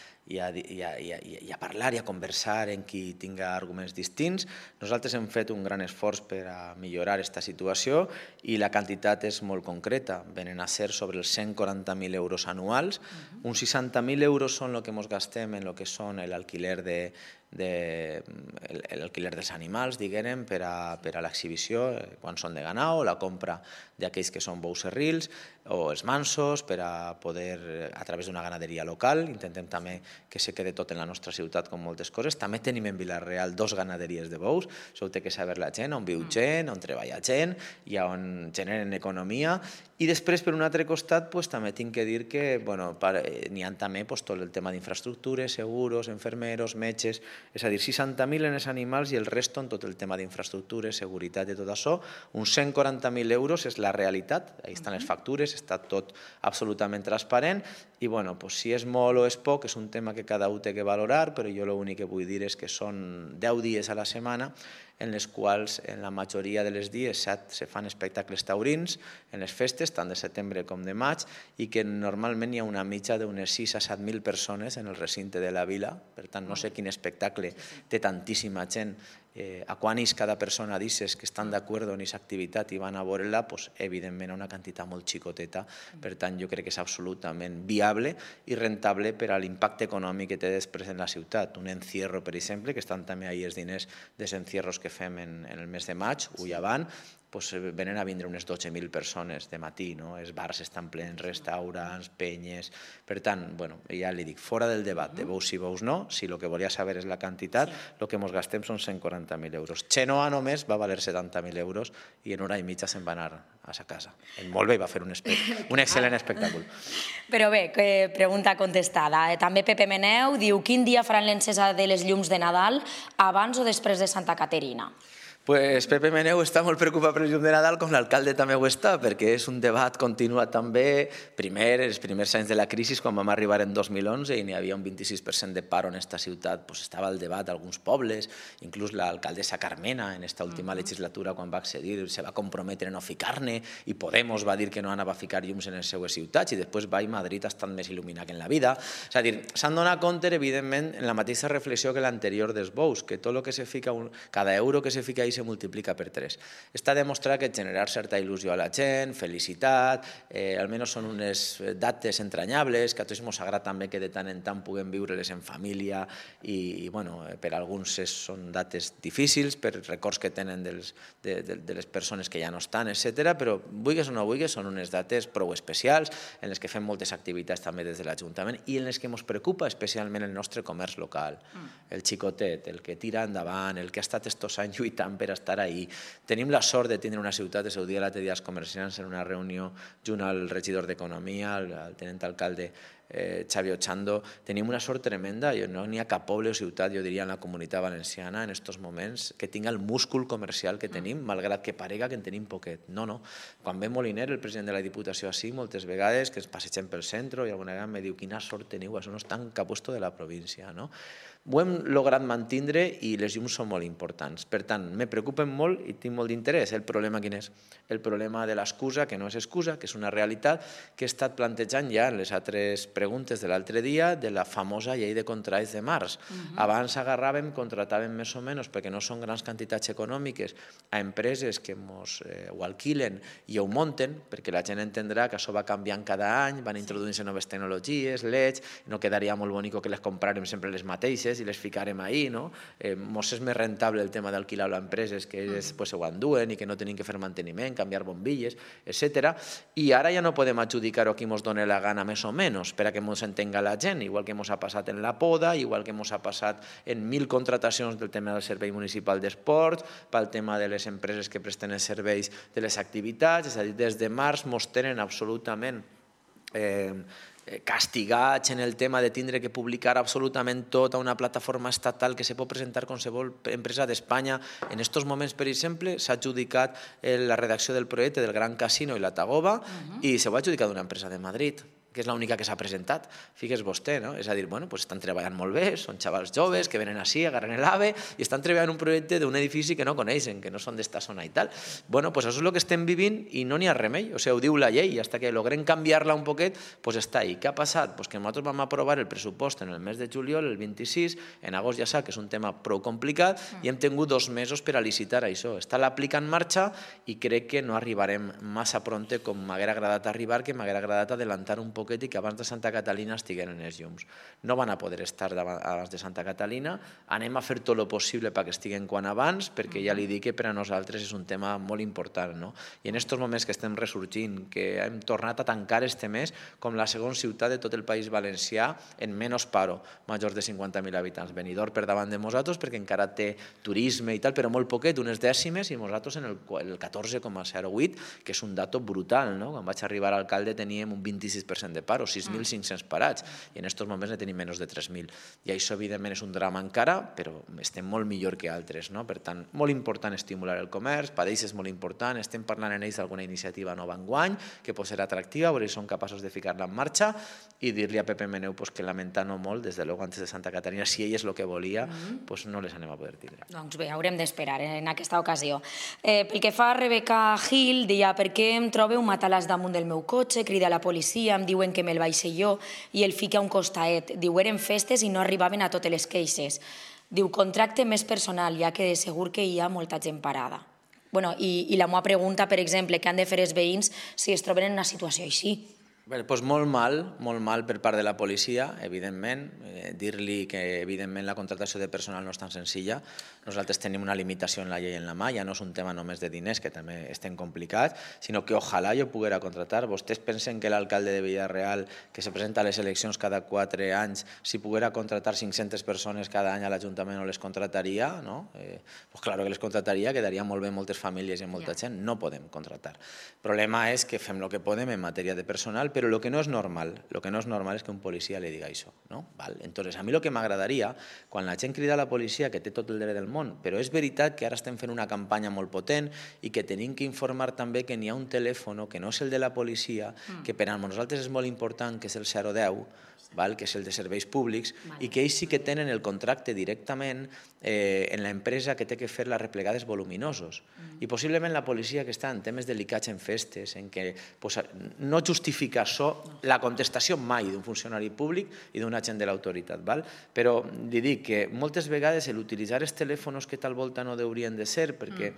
parlar i a conversar en qui tinga arguments distints. Nosaltres hem fet un gran esforç per a millorar aquesta situació i la quantitat és molt concreta. Venen a ser sobre els 140.000 euros anuals. Uns 60.000 euros són el que ens gastem en el que són l'alquiler dels animals, diguem, per a l'exhibició, quan són de ganau, la compra d'aquells que són bous serrils o els mansos, per a poder, a través d'una ganaderia local, intentem també que se quede tot en la nostra ciutat com moltes coses. També tenim en Vila-real 2 ganaderies de bous, això ho té que saber la gent, on viu gent, on treballa gent i on generen economia. I després, per un altre costat, també tinc que dir que n'hi ha també tot el tema d'infraestructures, seguros, enfermeros, metges, és a dir, 60.000 en els animals i el resto en tot el tema d'infraestructures, seguretat i tot això. Uns 140.000 euros és la realitat, ahí estan les factures, està tot absolutament transparent i si és molt o és poc és un tema que cada un té que valorar, però jo l'únic que vull dir és que són 10 dies a la setmana en les quals en la majoria de les dies se fan espectacles taurins en les festes, tant de setembre com de maig, i que normalment hi ha una mitja d'unes 6 a 7.000 persones en el recinte de la vila, per tant no sé quin espectacle té tantíssima gent. A quan és cada persona dices que estan d'acord en aquesta activitat i van a veure-la, evidentment una quantitat molt xicoteta, per tant jo crec que és absolutament viable i rentable per a l'impacte econòmic que té després en la ciutat. Un encierro, per exemple, que estan també ahir els diners dels encierros que fem en el mes de maig, o ja van, venen a vindre unes 12.000 persones de matí, els bars estan plens, restaurants, penyes. Per tant, ja li dic, fora del debat de bous sí, bous no, si el que volia saber és la quantitat, el que ens gastem són 140.000 euros. Xenoa només va valer 70.000 euros i en hora i mitja se'n va anar a sa casa. Molt bé, va fer un excel·lent espectacle. Però bé, pregunta contestada. També Pepe Meneu diu, quin dia faran l'encesa de les llums de Nadal, abans o després de Santa Caterina? Pues Pepe Meneu està molt preocupat per el llum de Nadal, com l'alcalde també ho està, perquè és un debat continuat també. Els primers anys de la crisi, quan vam arribar en 2011 i n'hi havia un 26% de paro en aquesta ciutat, estava el debat d'alguns pobles, inclús l'alcaldessa Carmena en aquesta última legislatura, quan va accedir, se va comprometre a no ficar-ne i Podemos va dir que no anava a ficar llums en les seues ciutats i després va i Madrid ha estat més il·luminat que en la vida. És a dir, s'han donat compte, evidentment, en la mateixa reflexió que l'anterior dels bous, que tot el que se fica, cada euro que se fica ahí se multiplica per 3. Està demostrat que generar certa il·lusió a la gent, felicitat, almenys són unes dates entranyables, que a tots ens agrada també que de tant en tant puguem viure-les en família i per alguns són dates difícils, per records que tenen de les persones que ja no estan, etc. Però vulguis o no vulguis, són unes dates prou especials en les que fem moltes activitats també des de l'Ajuntament i en les que ens preocupa especialment el nostre comerç local, el xicotet, el que tira endavant, el que ha estat estos anys lluitant per estar ahí. Tenim la sort de tindre una ciutat, ho dia l'altre dia als comerciants en una reunió junt al regidor d'Economia, al tenent alcalde Xavi Ochando. Tenim una sort tremenda, no n'hi ha cap poble o ciutat, jo diria, en la Comunitat Valenciana en aquests moments que tinga el múscul comercial que tenim, malgrat que parega que en tenim poquet. No. Quan ve Moliner, el president de la Diputació així, moltes vegades que ens passegem pel centre i alguna vegada em diu quina sort teniu, això no està en cap lloc de la província, no? ho hem lograt mantindre i les llums són molt importants. Per tant, me preocupen molt i tinc molt d'interès. El problema quin és? El problema de l'excusa, que no és excusa, que és una realitat que he estat plantejant ja en les altres preguntes de l'altre dia de la famosa llei de contractes de març. Abans agarràvem, contratàvem més o menys, perquè no són grans quantitats econòmiques, a empreses que ho alquilen i ho munten, perquè la gent entendrà que això va canviant cada any, van introduint-se noves tecnologies, LEDs, no quedaria molt bonic que les compràrem sempre les mateixes i les ficarem ahí, no? Mos és més rentable el tema d'alquilar a empreses que després ho enduen i que no tenim que fer manteniment, canviar bombilles, etc. I ara ja no podem adjudicar-ho a qui mos doni la gana més o menys, per a que mos entenga la gent, igual que mos ha passat en la poda, igual que mos ha passat en 1000 contratacions del tema del Servei Municipal d'Esports, pel tema de les empreses que presten els serveis de les activitats, és a dir, des de març mos tenen absolutament castigats en el tema de tindre que publicar absolutament tot a una plataforma estatal que se pot presentar qualsevol empresa d'Espanya. En aquests moments, per exemple, s'ha adjudicat la redacció del projecte del Gran Casino i la Tagoba i se ho ha adjudicat una empresa de Madrid, que és l'única que s'ha presentat. Figues vostè, no? És a dir, bueno, pues estan treballant molt bé, són xavals joves que venen així, agarren l'AVE i estan treballant un projecte d'un edifici que no coneixen, que no són d'esta zona i tal. Bueno, pues això és el que estem vivint i no n'hi ha remei, o sigui, ho diu la llei, i fins que logrem canviar-la un poquet, pues està ahí. Què ha passat? Pues que nosaltres vam aprovar el pressupost en el mes de juliol, el 26, en agost ja sap que és un tema prou complicat i hem tingut 2 mesos per a licitar això. Està l'aplica en marxa i crec que no arribarem massa pronte com m'haguera agradat arribar, que m'haguera agradat adelantar un poquet i que abans de Santa Catalina estigueren els llums. No van a poder estar abans de Santa Catalina, anem a fer tot el possible perquè estiguen quan abans, perquè ja li dic que per a nosaltres és un tema molt important, no? I en aquests moments que estem ressorgint, que hem tornat a tancar este mes com la segona ciutat de tot el País Valencià en menys paro, majors de 50.000 habitants. Benidorm per davant de nosaltres perquè encara té turisme i tal, però molt poquet, unes dècimes, i nosaltres en el 14,08, que és un dato brutal, no? Quan vaig arribar a alcalde teníem un 26% de paro, 6.500 parats, i en aquests moments ne tenim menys de 3.000. I això, evidentment, és un drama encara, però estem molt millor que altres, no? Per tant, molt important estimular el comerç, per ells és molt important, estem parlant en ells d'alguna iniciativa nova enguany, que pot ser atractiva, veure si són capaços de ficar-la en marxa, i dir-li a Pepe Meneu que lamentant-ho molt, des de luego antes de Santa Caterina, si ell és el que volia, no les anem a poder tindre. Doncs bé, haurem d'esperar en aquesta ocasió. Pel que fa a Rebeca Gil, deia, per què em trobo un matalàs damunt del meu cotxe, crida a la policia, em diuen que me'l vaig jo i el fica a un costaet. Diu, eren festes i no arribaven a totes les queixes. Diu, contracte més personal, ja que de segur que hi ha molta gent parada. I la meva pregunta, per exemple, què han de fer els veïns si es troben en una situació així? Doncs molt mal per part de la policia, evidentment. Dir-li que, evidentment, la contractació de personal no és tan senzilla. Nosaltres tenim una limitació en la llei en la mà, ja no és un tema només de diners, que també estem complicats, sinó que ojalà jo poguera contractar. Vostès pensen que l'alcalde de Villarreal, que se presenta a les eleccions cada 4 anys, si poguera contractar 500 persones cada any a l'Ajuntament no les contractaria, no? Pues claro que les contractaria, quedaria molt bé moltes famílies i molta gent. No podem contractar. El problema és que fem el que podem en matèria de personal, però lo que no és normal és que un policia li diga això, no? Entonces, a mi el que m'agradaria, quan la gent crida a la policia, que té tot el dret del món, però és veritat que ara estem fent una campanya molt potent i que tenim que informar també que n'hi ha un telèfon que no és el de la policia, que per a nosaltres és molt important, que és el 010, que és el de serveis públics, i que ells sí que tenen el contracte directament en l'empresa que té que fer les replegades voluminosos. I possiblement la policia que està en temes delicats en festes, en què no justifica això la contestació mai d'un funcionari públic i d'un agent de l'autoritat. Però li dic que moltes vegades l'utilitzar els telèfons que tal volta no haurien de ser, perquè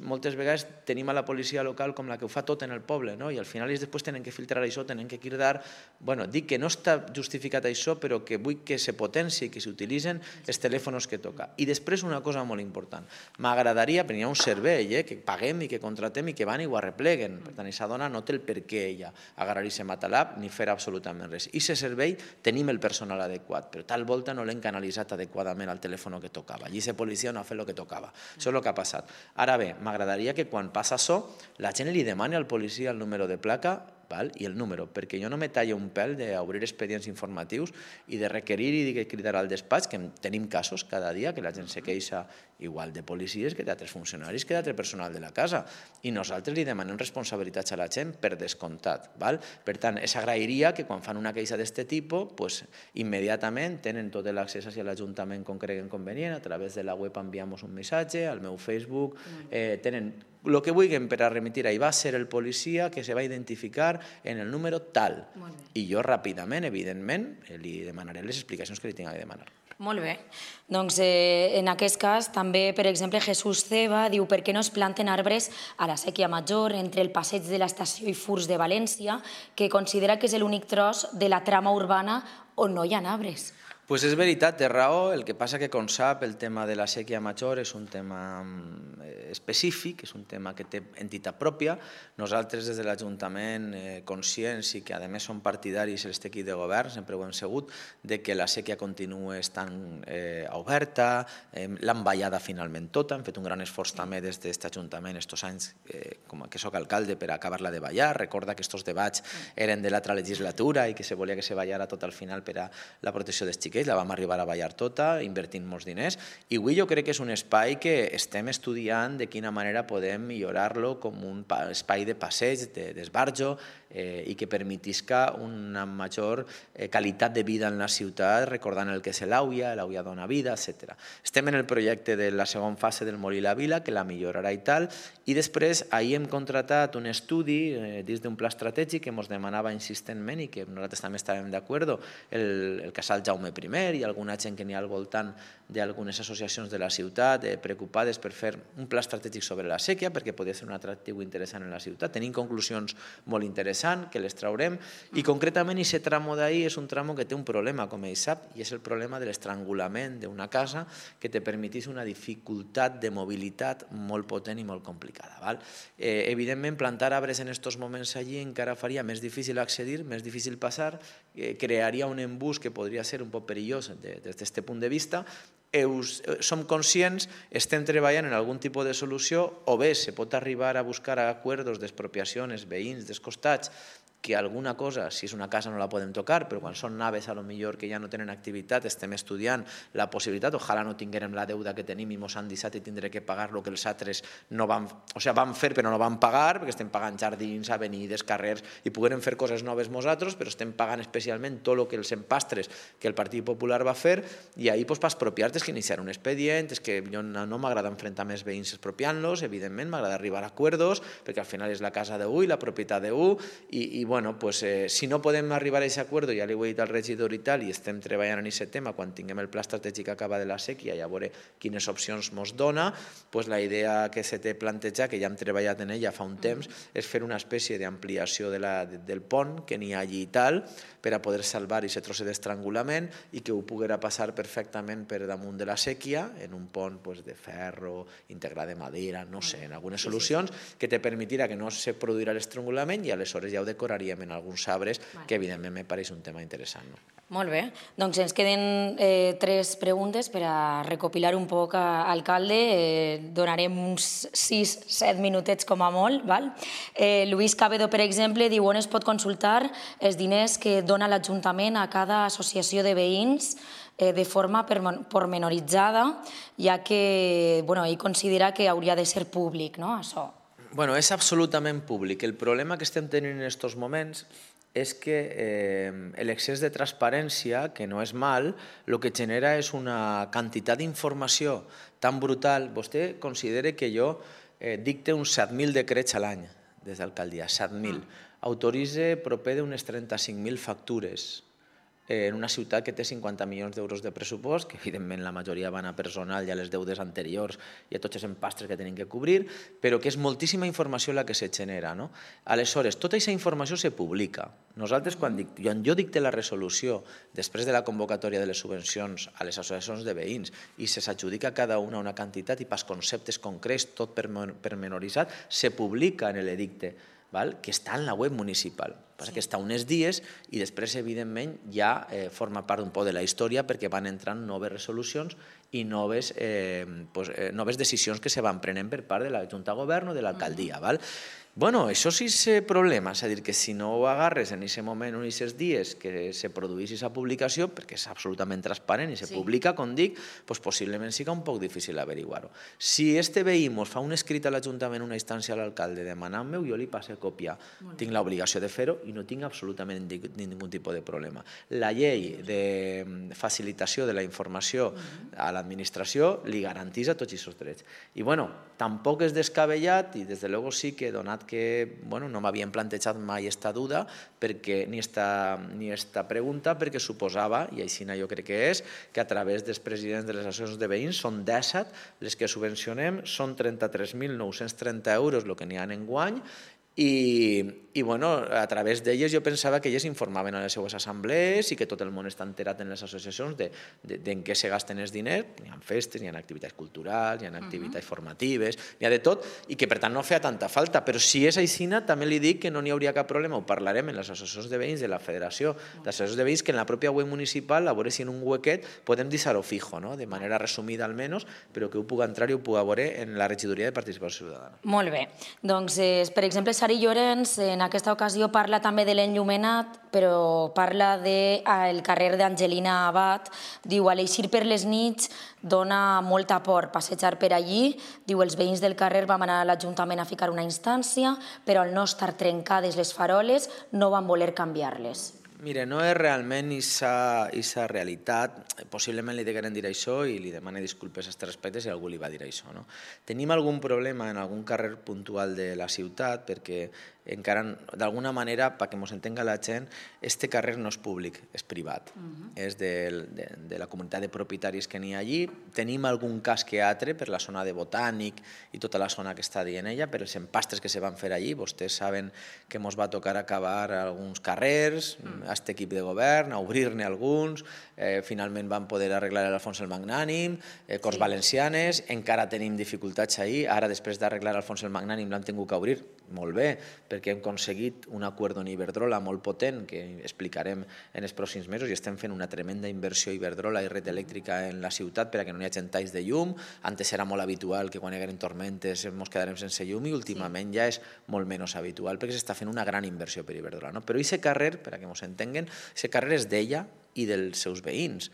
moltes vegades tenim a la policia local com la que ho fa tot en el poble, i al final ells després tenen que filtrar això, tenen que cridar. Dic que no està justificat això, però que vull que se potenci, que s'utilitzen els telèfons que toca. I després una cosa molt important. M'agradaria, perquè hi ha un servei que paguem i que contratem i que van i ho arrepleguen. Per tant, aquesta dona no té el per què ella agarrar i se matalab ni fer absolutament res. I aquest servei tenim el personal adequat, però tal volta no l'hem canalitzat adequadament al telèfon que tocava. Allí la policia no ha fet el que tocava. Això és el que ha passat. Ara bé, m'agradaria que quan passa això, la gent li demani al policia el número de placa, i el número, perquè jo no me tallo un pèl d'obrir expedients informatius i de requerir i de cridar al despatx, que tenim casos cada dia que la gent se queixa igual de policies que d'altres funcionaris que d'altre personal de la casa, i nosaltres li demanem responsabilitats a la gent per descomptat. Per tant, s'agrairia que quan fan una queixa d'aquest tipus, immediatament tenen tot l'accés a l'Ajuntament com creguen convenient, a través de la web enviam un missatge, al meu Facebook, tenen el que vulguin per a remitir. Ahí va ser el policia que se va identificar en el número tal. I jo ràpidament, evidentment, li demanaré les explicacions que li tinc que demanar. Molt bé. Doncs en aquest cas també, per exemple, Jesús Ceba diu per què no es planten arbres a la Sèquia Major entre el passeig de l'Estació i Furs de València, que considera que és l'únic tros de la trama urbana on no hi ha arbres. Pues és veritat, té raó, el que passa que, com sap, el tema de la Sèquia Major és un tema específic, és un tema que té entitat pròpia. Nosaltres, des de l'Ajuntament, conscients i que, a més, som partidaris els equip de govern, sempre ho hem segut, de que la sèquia continua estant oberta, l'han ballada finalment tota, hem fet un gran esforç també des d'aquest Ajuntament aquests anys com que soc alcalde per acabar-la de ballar. Recorda que aquests debats eren de l'altra legislatura i que se volia que se ballara tot al final per a la protecció dels xiquets, la vam arribar a ballar tota, invertint molts diners, i avui jo crec que és un espai que estem estudiant de quina manera podem millorar-lo com un espai de passeig, d'esbarjo, i que permetisca una major qualitat de vida en la ciutat, recordant el que és l'AUIA dona vida, etc. Estem en el projecte de la segona fase del Molí la Vila, que la millorarà i tal, i després ahir hem contratat un estudi dins d'un pla estratègic que ens demanava insistentment i que nosaltres també estàvem d'acord, el casal Jaume I i alguna gent que n'hi ha al voltant d'algunes associacions de la ciutat preocupades per fer un pla estratègic sobre la sèquia perquè podia ser un atractiu interessant en la ciutat. Tenim conclusions molt interessants que les traurem i concretament aquest tramo d'ahir és un tramo que té un problema, com ell sap, i és el problema de l'estrangulament d'una casa que te permetís una dificultat de mobilitat molt potent i molt complicada. Evidentment, plantar arbres en aquests moments allí encara faria més difícil accedir, més difícil passar, crearia un embús que podria ser un poc perillós des d'aquest punt de vista. Som conscients, estem treballant en algun tipus de solució, o bé se pot arribar a buscar acords d'expropiacions, veïns, dels costats, que alguna cosa, si és una casa no la podem tocar, però quan són naves a lo millor que ja no tenen activitat estem estudiant la possibilitat, ojalà no tinguérem la deuda que tenim i mos han deixat i tindré que pagar el que els altres no van, o sigui, van fer però no van pagar, perquè estem pagant jardins, avenides, carrers, i poguérem fer coses noves nosaltres, però estem pagant especialment tot el que els empastres que el Partit Popular va fer, i ahir per expropiar-te és que iniciar un expedient, és que jo no m'agrada enfrontar més veïns expropiant-los, evidentment m'agrada arribar a acords, perquè al final és la casa d'u i la propietat d'u, i bueno, pues, si no podem arribar a aquest acord, ja li ho he dit al regidor i tal, i estem treballant en aquest tema, quan tinguem el pla estratègic acaba de la sèquia i a veure quines opcions ens dona, pues la idea que se té plantejat, que ja hem treballat en ella fa un temps, és fer una espècie d'ampliació del pont que n'hi ha allí i tal, per a poder salvar aquest trosset d'estrangulament i que ho poguera passar perfectament per damunt de la sèquia, en un pont de ferro, integrat de madera, no sé, en algunes solucions que te permetirà que no se produirà l'estrangulament i aleshores ja ho decoraríem en alguns arbres, que evidentment me pareix un tema interessant. Molt bé, doncs ens queden 3 preguntes per a recopilar un poc, alcalde. Donarem uns 6-7 minutets com a molt. Luis Cabedo, per exemple, diu on es pot consultar els diners que dona l'Ajuntament a cada associació de veïns de forma pormenoritzada, ja que ell considera que hauria de ser públic, no, això? Bueno, és absolutament públic. El problema que estem tenint en aquests moments és que l'excés de transparència, que no és mal, el que genera és una quantitat d'informació tan brutal. Vostè considera que jo dicte uns 7.000 decrets a l'any des d'alcaldia, 7.000. Autoritze proper d'unes 35.000 factures en una ciutat que té 50 milions d'euros de pressupost, que evidentment la majoria van a personal i a les deudes anteriors i a tots els empastres que tenim que cobrir, però que és moltíssima informació la que se genera. Aleshores, tota aquesta informació se publica. Nosaltres, quan jo dicte la resolució després de la convocatòria de les subvencions a les associacions de veïns i se s'adjudica cada una quantitat i pels conceptes concrets, tot pormenoritzat, se publica en l'edicte, que està en la web municipal. Passa que està uns dies i després, evidentment, ja forma part un poc de la història perquè van entrant noves resolucions i noves decisions que se van prenent per part de la Junta de Govern o de l'alcaldia. Bueno, això sí és problema, és a dir, que si no ho agarres en aquest moment o en aquests dies que se produís aquesta publicació, perquè és absolutament transparent i se publica, com dic, doncs possiblement siga un poc difícil averiguar-ho. Si este veí mos fa un escrit a l'Ajuntament, una instància a l'alcalde demanant-me-ho, jo li passo a còpia. Tinc l'obligació de fer-ho i no tinc absolutament ningú tipus de problema. La llei de facilitació de la informació a l'administració li garanteix a tots aquests drets. I bueno, tampoc és descabellat i des de luego sí que donat que no m'havien plantejat mai esta duda ni esta pregunta perquè suposava, i així jo crec que és, que a través dels presidents de les associacions de veïns són 17 les que subvencionem, són 33.930 euros el que n'hi ha enguany i a través d'elles jo pensava que elles informaven a les seues assemblees i que tot el món està enterat en les associacions d'en què se gasten els diners. Hi ha festes, hi ha activitats culturals, hi ha activitats formatives, hi ha de tot, i que per tant no feia tanta falta. Però si és aixina, també li dic que no n'hi hauria cap problema, ho parlarem en les associacions de veïns de la Federació d'Associacions de Veïns, que en la pròpia web municipal, a veure si en un huequet podem deixar-ho fijo, de manera resumida almenys, però que ho puga entrar i ho puga veure en la regidoria de Participació Ciutadana. Molt bé. Doncs, per exemple, Sari Llorenç en aquesta ocasió parla també de l'enllumenat, però parla del carrer d'Angelina Abad. Diu, a l'eixir per les nits dona molta por passejar per allí. Diu, els veïns del carrer vam anar a l'Ajuntament a ficar una instància, però al no estar trencades les faroles no van voler canviar-les. Mira, no és realment aquesta realitat. Possiblement li degueren dir això i li demano disculpes a aquest respecte si algú li va dir això. Tenim algun problema en algun carrer puntual de la ciutat perquè encara, d'alguna manera, perquè ens entenga la gent, este carrer no és públic, és privat. És de la comunitat de propietaris que n'hi ha allí. Tenim algun cas que altre per la zona de Botànic i tota la zona que està dient ella, per els empastres que se van fer allí. Vostès saben que ens va tocar acabar alguns carrers, a aquest equip de govern, a obrir-ne alguns, finalment van poder arreglar l'Alfons el Magnànim, Corts Valencianes, encara tenim dificultats ahir, ara després d'arreglar l'Alfons el Magnànim l'han tingut que obrir, molt bé, perquè hem aconseguit un acord amb Iberdrola molt potent que explicarem en els pròxims mesos i estem fent una tremenda inversió Iberdrola i red elèctrica en la ciutat perquè no hi hagi talls de llum. Antes era molt habitual que quan hi hagueren tormentes ens quedarem sense llum i últimament ja és molt menys habitual perquè s'està fent una gran inversió per Iberdrola. Però aquest carrer, per a que ens entenguen, aquest carrer és d'ella i dels seus veïns.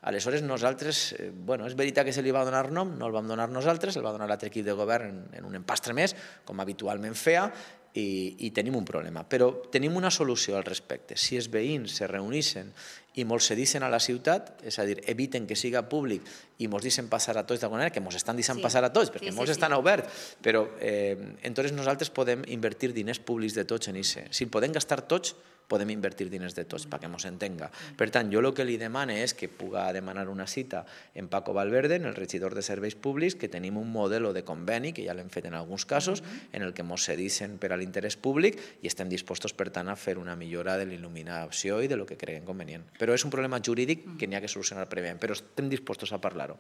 Aleshores, nosaltres, és veritat que se li va donar nom, no el vam donar nosaltres, el va donar l'altre equip de govern en un empastre més, com habitualment feia, i tenim un problema. Però tenim una solució al respecte. Si els veïns se reuneixen i mos cedixen a la ciutat, és a dir, eviten que siga públic i mos deixen passar a tots d'alguna manera, que mos estan deixant passar a tots, perquè molts estan oberts, però entonces nosaltres podem invertir diners públics de tots en això. Si podem gastar tots, podem invertir diners de tots, perquè ens entenga. Per tant, jo el que li demane és que puga demanar una cita en Paco Valverde, en el regidor de Serveis Públics, que tenim un model de conveni, que ja l'hem fet en alguns casos, en el que ens cedixen per a l'interès públic i estem dispostos, per tant, a fer una millora de l'il·luminació i de lo que creguem convenient. Però és un problema jurídic que n'hi ha que solucionar prèviament, però estem dispostos a parlar-ho.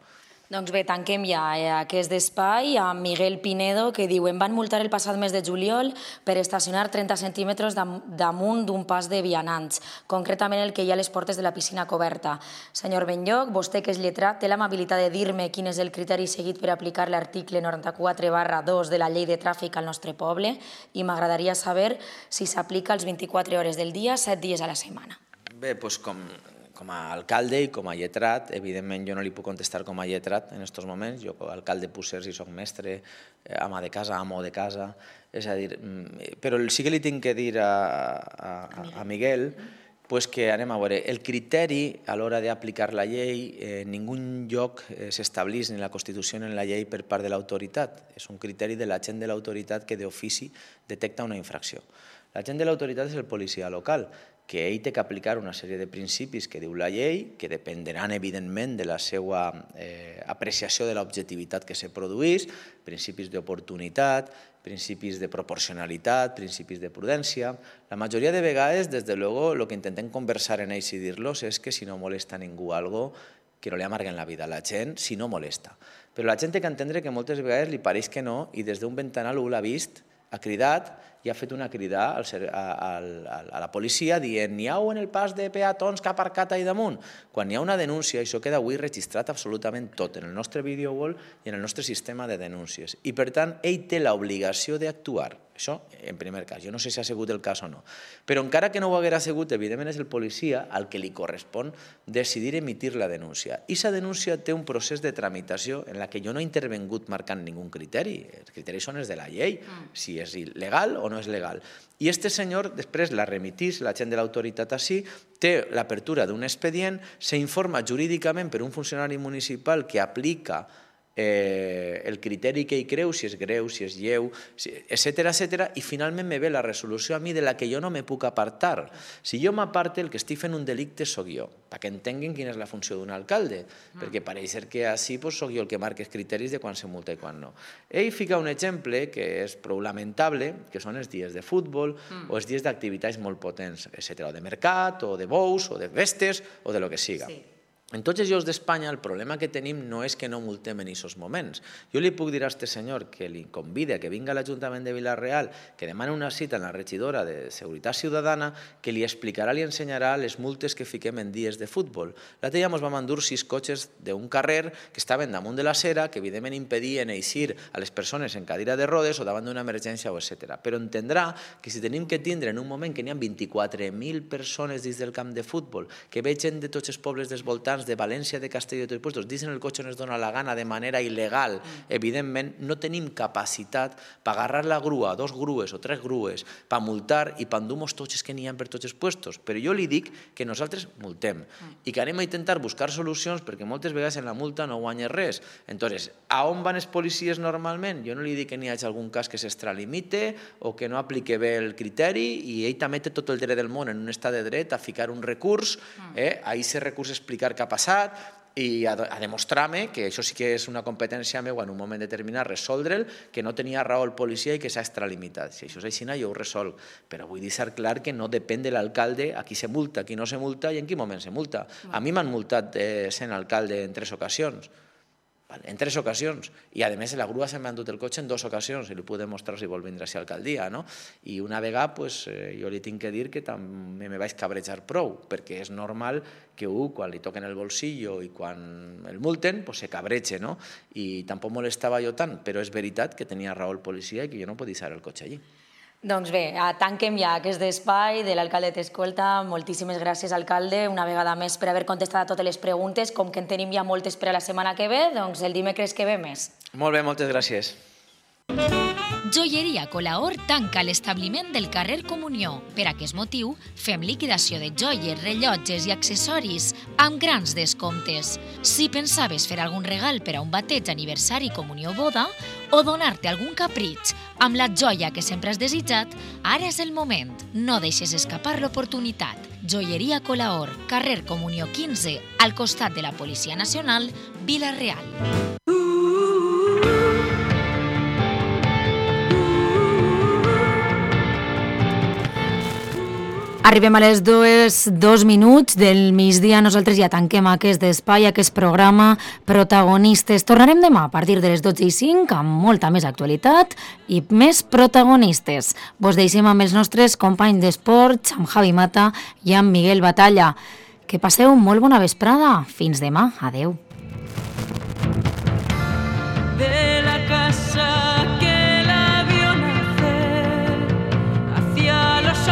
Doncs bé, tanquem ja aquest espai amb Miguel Pinedo, que diu: em van multar el passat mes de juliol per estacionar 30 centímetres damunt d'un pas de vianants, concretament el que hi ha a les portes de la piscina coberta. Senyor Benlloc, vostè que és lletrat, té l'amabilitat de dir-me quin és el criteri seguit per aplicar l'article 94/2 de la llei de tràfic al nostre poble i m'agradaria saber si s'aplica els 24 hores del dia, 7 dies a la setmana. Bé, doncs com a alcalde i com a lletrat, evidentment jo no li puc contestar com a lletrat en aquests moments, jo com a alcalde puc ser si soc mestre, ama de casa, amo de casa, és a dir, però sí que li tinc que dir a Miguel que anem a veure, el criteri a l'hora d'aplicar la llei en ningú lloc s'estableix ni la Constitució ni en la llei per part de l'autoritat, és un criteri de l'agent de l'autoritat que d'ofici detecta una infracció. L'agent de l'autoritat és el policia local, que ell té que aplicar una sèrie de principis que diu la llei, que dependran, evidentment, de la seva apreciació de l'objectivitat que se produís, principis d'oportunitat, principis de proporcionalitat, principis de prudència. La majoria de vegades, des de luego, el que intentem conversar en ells i dir-los és que si no molesta a ningú algo, que no li amarguen la vida a la gent si no molesta. Però la gent té que entendre que moltes vegades li pareix que no i des d'un ventanal ho l'ha vist, ha cridat i ha fet una crida a la policia dient n'hi ha en el pas de peatons que ha aparcat allà damunt. Quan hi ha una denúncia, això queda avui registrat absolutament tot, en el nostre video wall i en el nostre sistema de denúncies. I per tant, ell té l'obligació d'actuar. Això, en primer cas. Jo no sé si ha sigut el cas o no. Però encara que no ho haguera sigut, evidentment és el policia al que li correspon decidir emitir la denúncia. I aquesta denúncia té un procés de tramitació en la que jo no he intervingut marcant ningú criteri. Els criteris són els de la llei, si és legal o no és legal. I este senyor després la remitís, la gent de l'autoritat així, té l'apertura d'un expedient, s'informa jurídicament per un funcionari municipal que aplica el criteri que hi creu, si és greu, si és lleu, etcètera, i finalment me ve la resolució a mi de la que jo no me puc apartar. Si jo m'aparte, el que estic fent un delicte soc jo, perquè entenguin quina és la funció d'un alcalde, perquè pareix ser que així soc jo el que marca els criteris de quan se multa i quan no. Ell fica un exemple que és prou lamentable, que són els dies de futbol o els dies d'activitats molt potents, etcètera, o de mercat, o de bous, o de vestes, o de lo que siga. En tots els llocs d'Espanya el problema que tenim no és que no multem en aquests moments. Jo li puc dir a aquest senyor que li convida que vinga a l'Ajuntament de Vila-real, que demani una cita en la regidora de Seguretat Ciutadana, que li explicarà, li ensenyarà les multes que fiquem en dies de futbol. L'altre dia ens vam endur 6 cotxes d'un carrer que estaven damunt de l'acera, que evidentment impedien eixir a les persones en cadira de rodes o davant d'una emergència, etc. Però entendrà que si tenim que tindre en un moment que n'hi ha 24.000 persones dins del camp de futbol, que ve gent de tots els pobles dels voltants, de València, de Castelló i de tots els puestos, dins en el cotxe on es dona la gana de manera il·legal, evidentment no tenim capacitat per agarrar la grua, 2 grues o 3 grues, per multar i per endur-nos tots els que n'hi ha per tots els puestos. Però jo li dic que nosaltres multem i que anem a intentar buscar solucions perquè moltes vegades en la multa no guanyes res. Entonces, a on van els policies normalment? Jo no li dic que n'hi hagi algun cas que s'extralimite o que no aplique bé el criteri i ell també té tot el dret del món en un estat de dret a ficar un recurs, a aquest recurs explicar què ha passat i a demostrar-me que això sí que és una competència meva en un moment determinat resoldre'l, que no tenia raó el policia i que s'ha extralimitat. Si això és així, jo ho resolc. Però vull deixar clar que no depèn de l'alcalde a qui se multa, a qui no se multa i en quin moment se multa. A mi m'han multat sent alcalde en 3 ocasions. En 3 ocasions. I a més la grua se m'ha endut el cotxe en 2 ocasions i li puc demostrar si vol vindre a ser alcaldia. I una vegada jo li tinc que dir que també me vaig cabrejar prou, perquè és normal que quan li toquen el bolsillo i quan el multen se cabreja, i tampoc molestava jo tant, però és veritat que tenia raó el policia i que jo no podia deixar el cotxe allí. Doncs bé, tanquem ja aquest espai de l'alcalde t'escolta. Moltíssimes gràcies, alcalde, una vegada més per haver contestat a totes les preguntes. Com que en tenim ja moltes per a la setmana que ve, doncs el dimecres que ve més. Molt bé, moltes gràcies. Joieria Colaor tanca l'establiment del carrer Comunió. Per aquest motiu, fem liquidació de joies, rellotges i accessoris amb grans descomptes. Si pensaves fer algun regal per a un bateig, aniversari, comunió o boda, o donar-te algun capritx amb la joia que sempre has desitjat, ara és el moment. No deixes escapar l'oportunitat. Joieria Colaor, carrer Comunió 15, al costat de la Policia Nacional, Vila-real. Arribem a les 2 minuts del migdia. Nosaltres ja tanquem aquest espai, aquest programa Protagonistes. Tornarem demà a partir de les 12:05 amb molta més actualitat i més protagonistes. Vos deixem amb els nostres companys d'esports, amb Javi Mata i amb Miguel Batalla. Que passeu molt bona vesprada. Fins demà. Adeu. De la casa que la vio nacer hacia los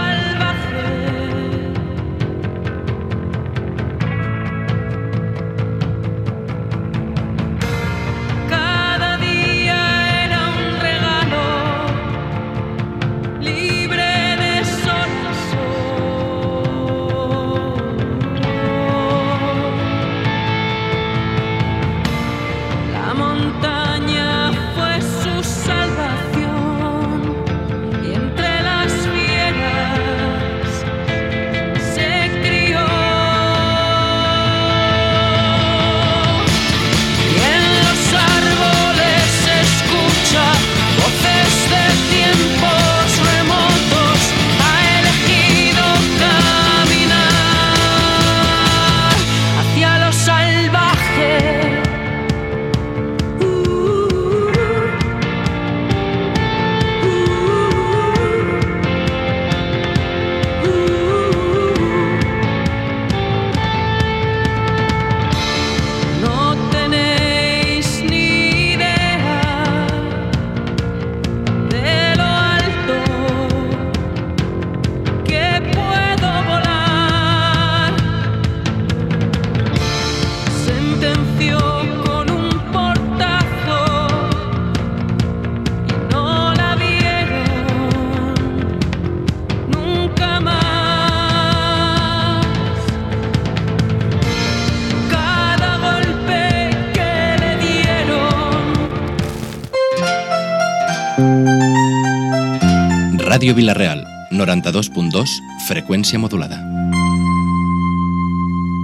Ràdio Vila-real, 92.2, freqüència modulada.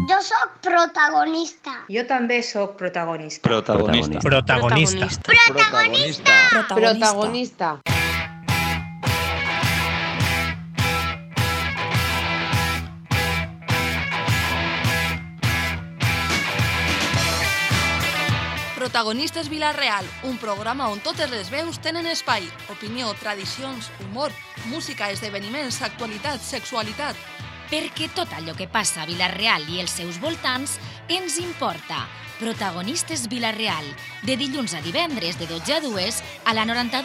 Jo sóc protagonista. Jo també sóc protagonista. Protagonista. Protagonista. Protagonista. Protagonista. Protagonistes Vila-real, un programa on totes les veus tenen espai. Opinió, tradicions, humor, música, esdeveniments, actualitat, sexualitat. Perquè tot allò que passa a Vila-real i els seus voltants ens importa. Protagonistes Vila-real, de dilluns a divendres de 12 a 2 a la 92.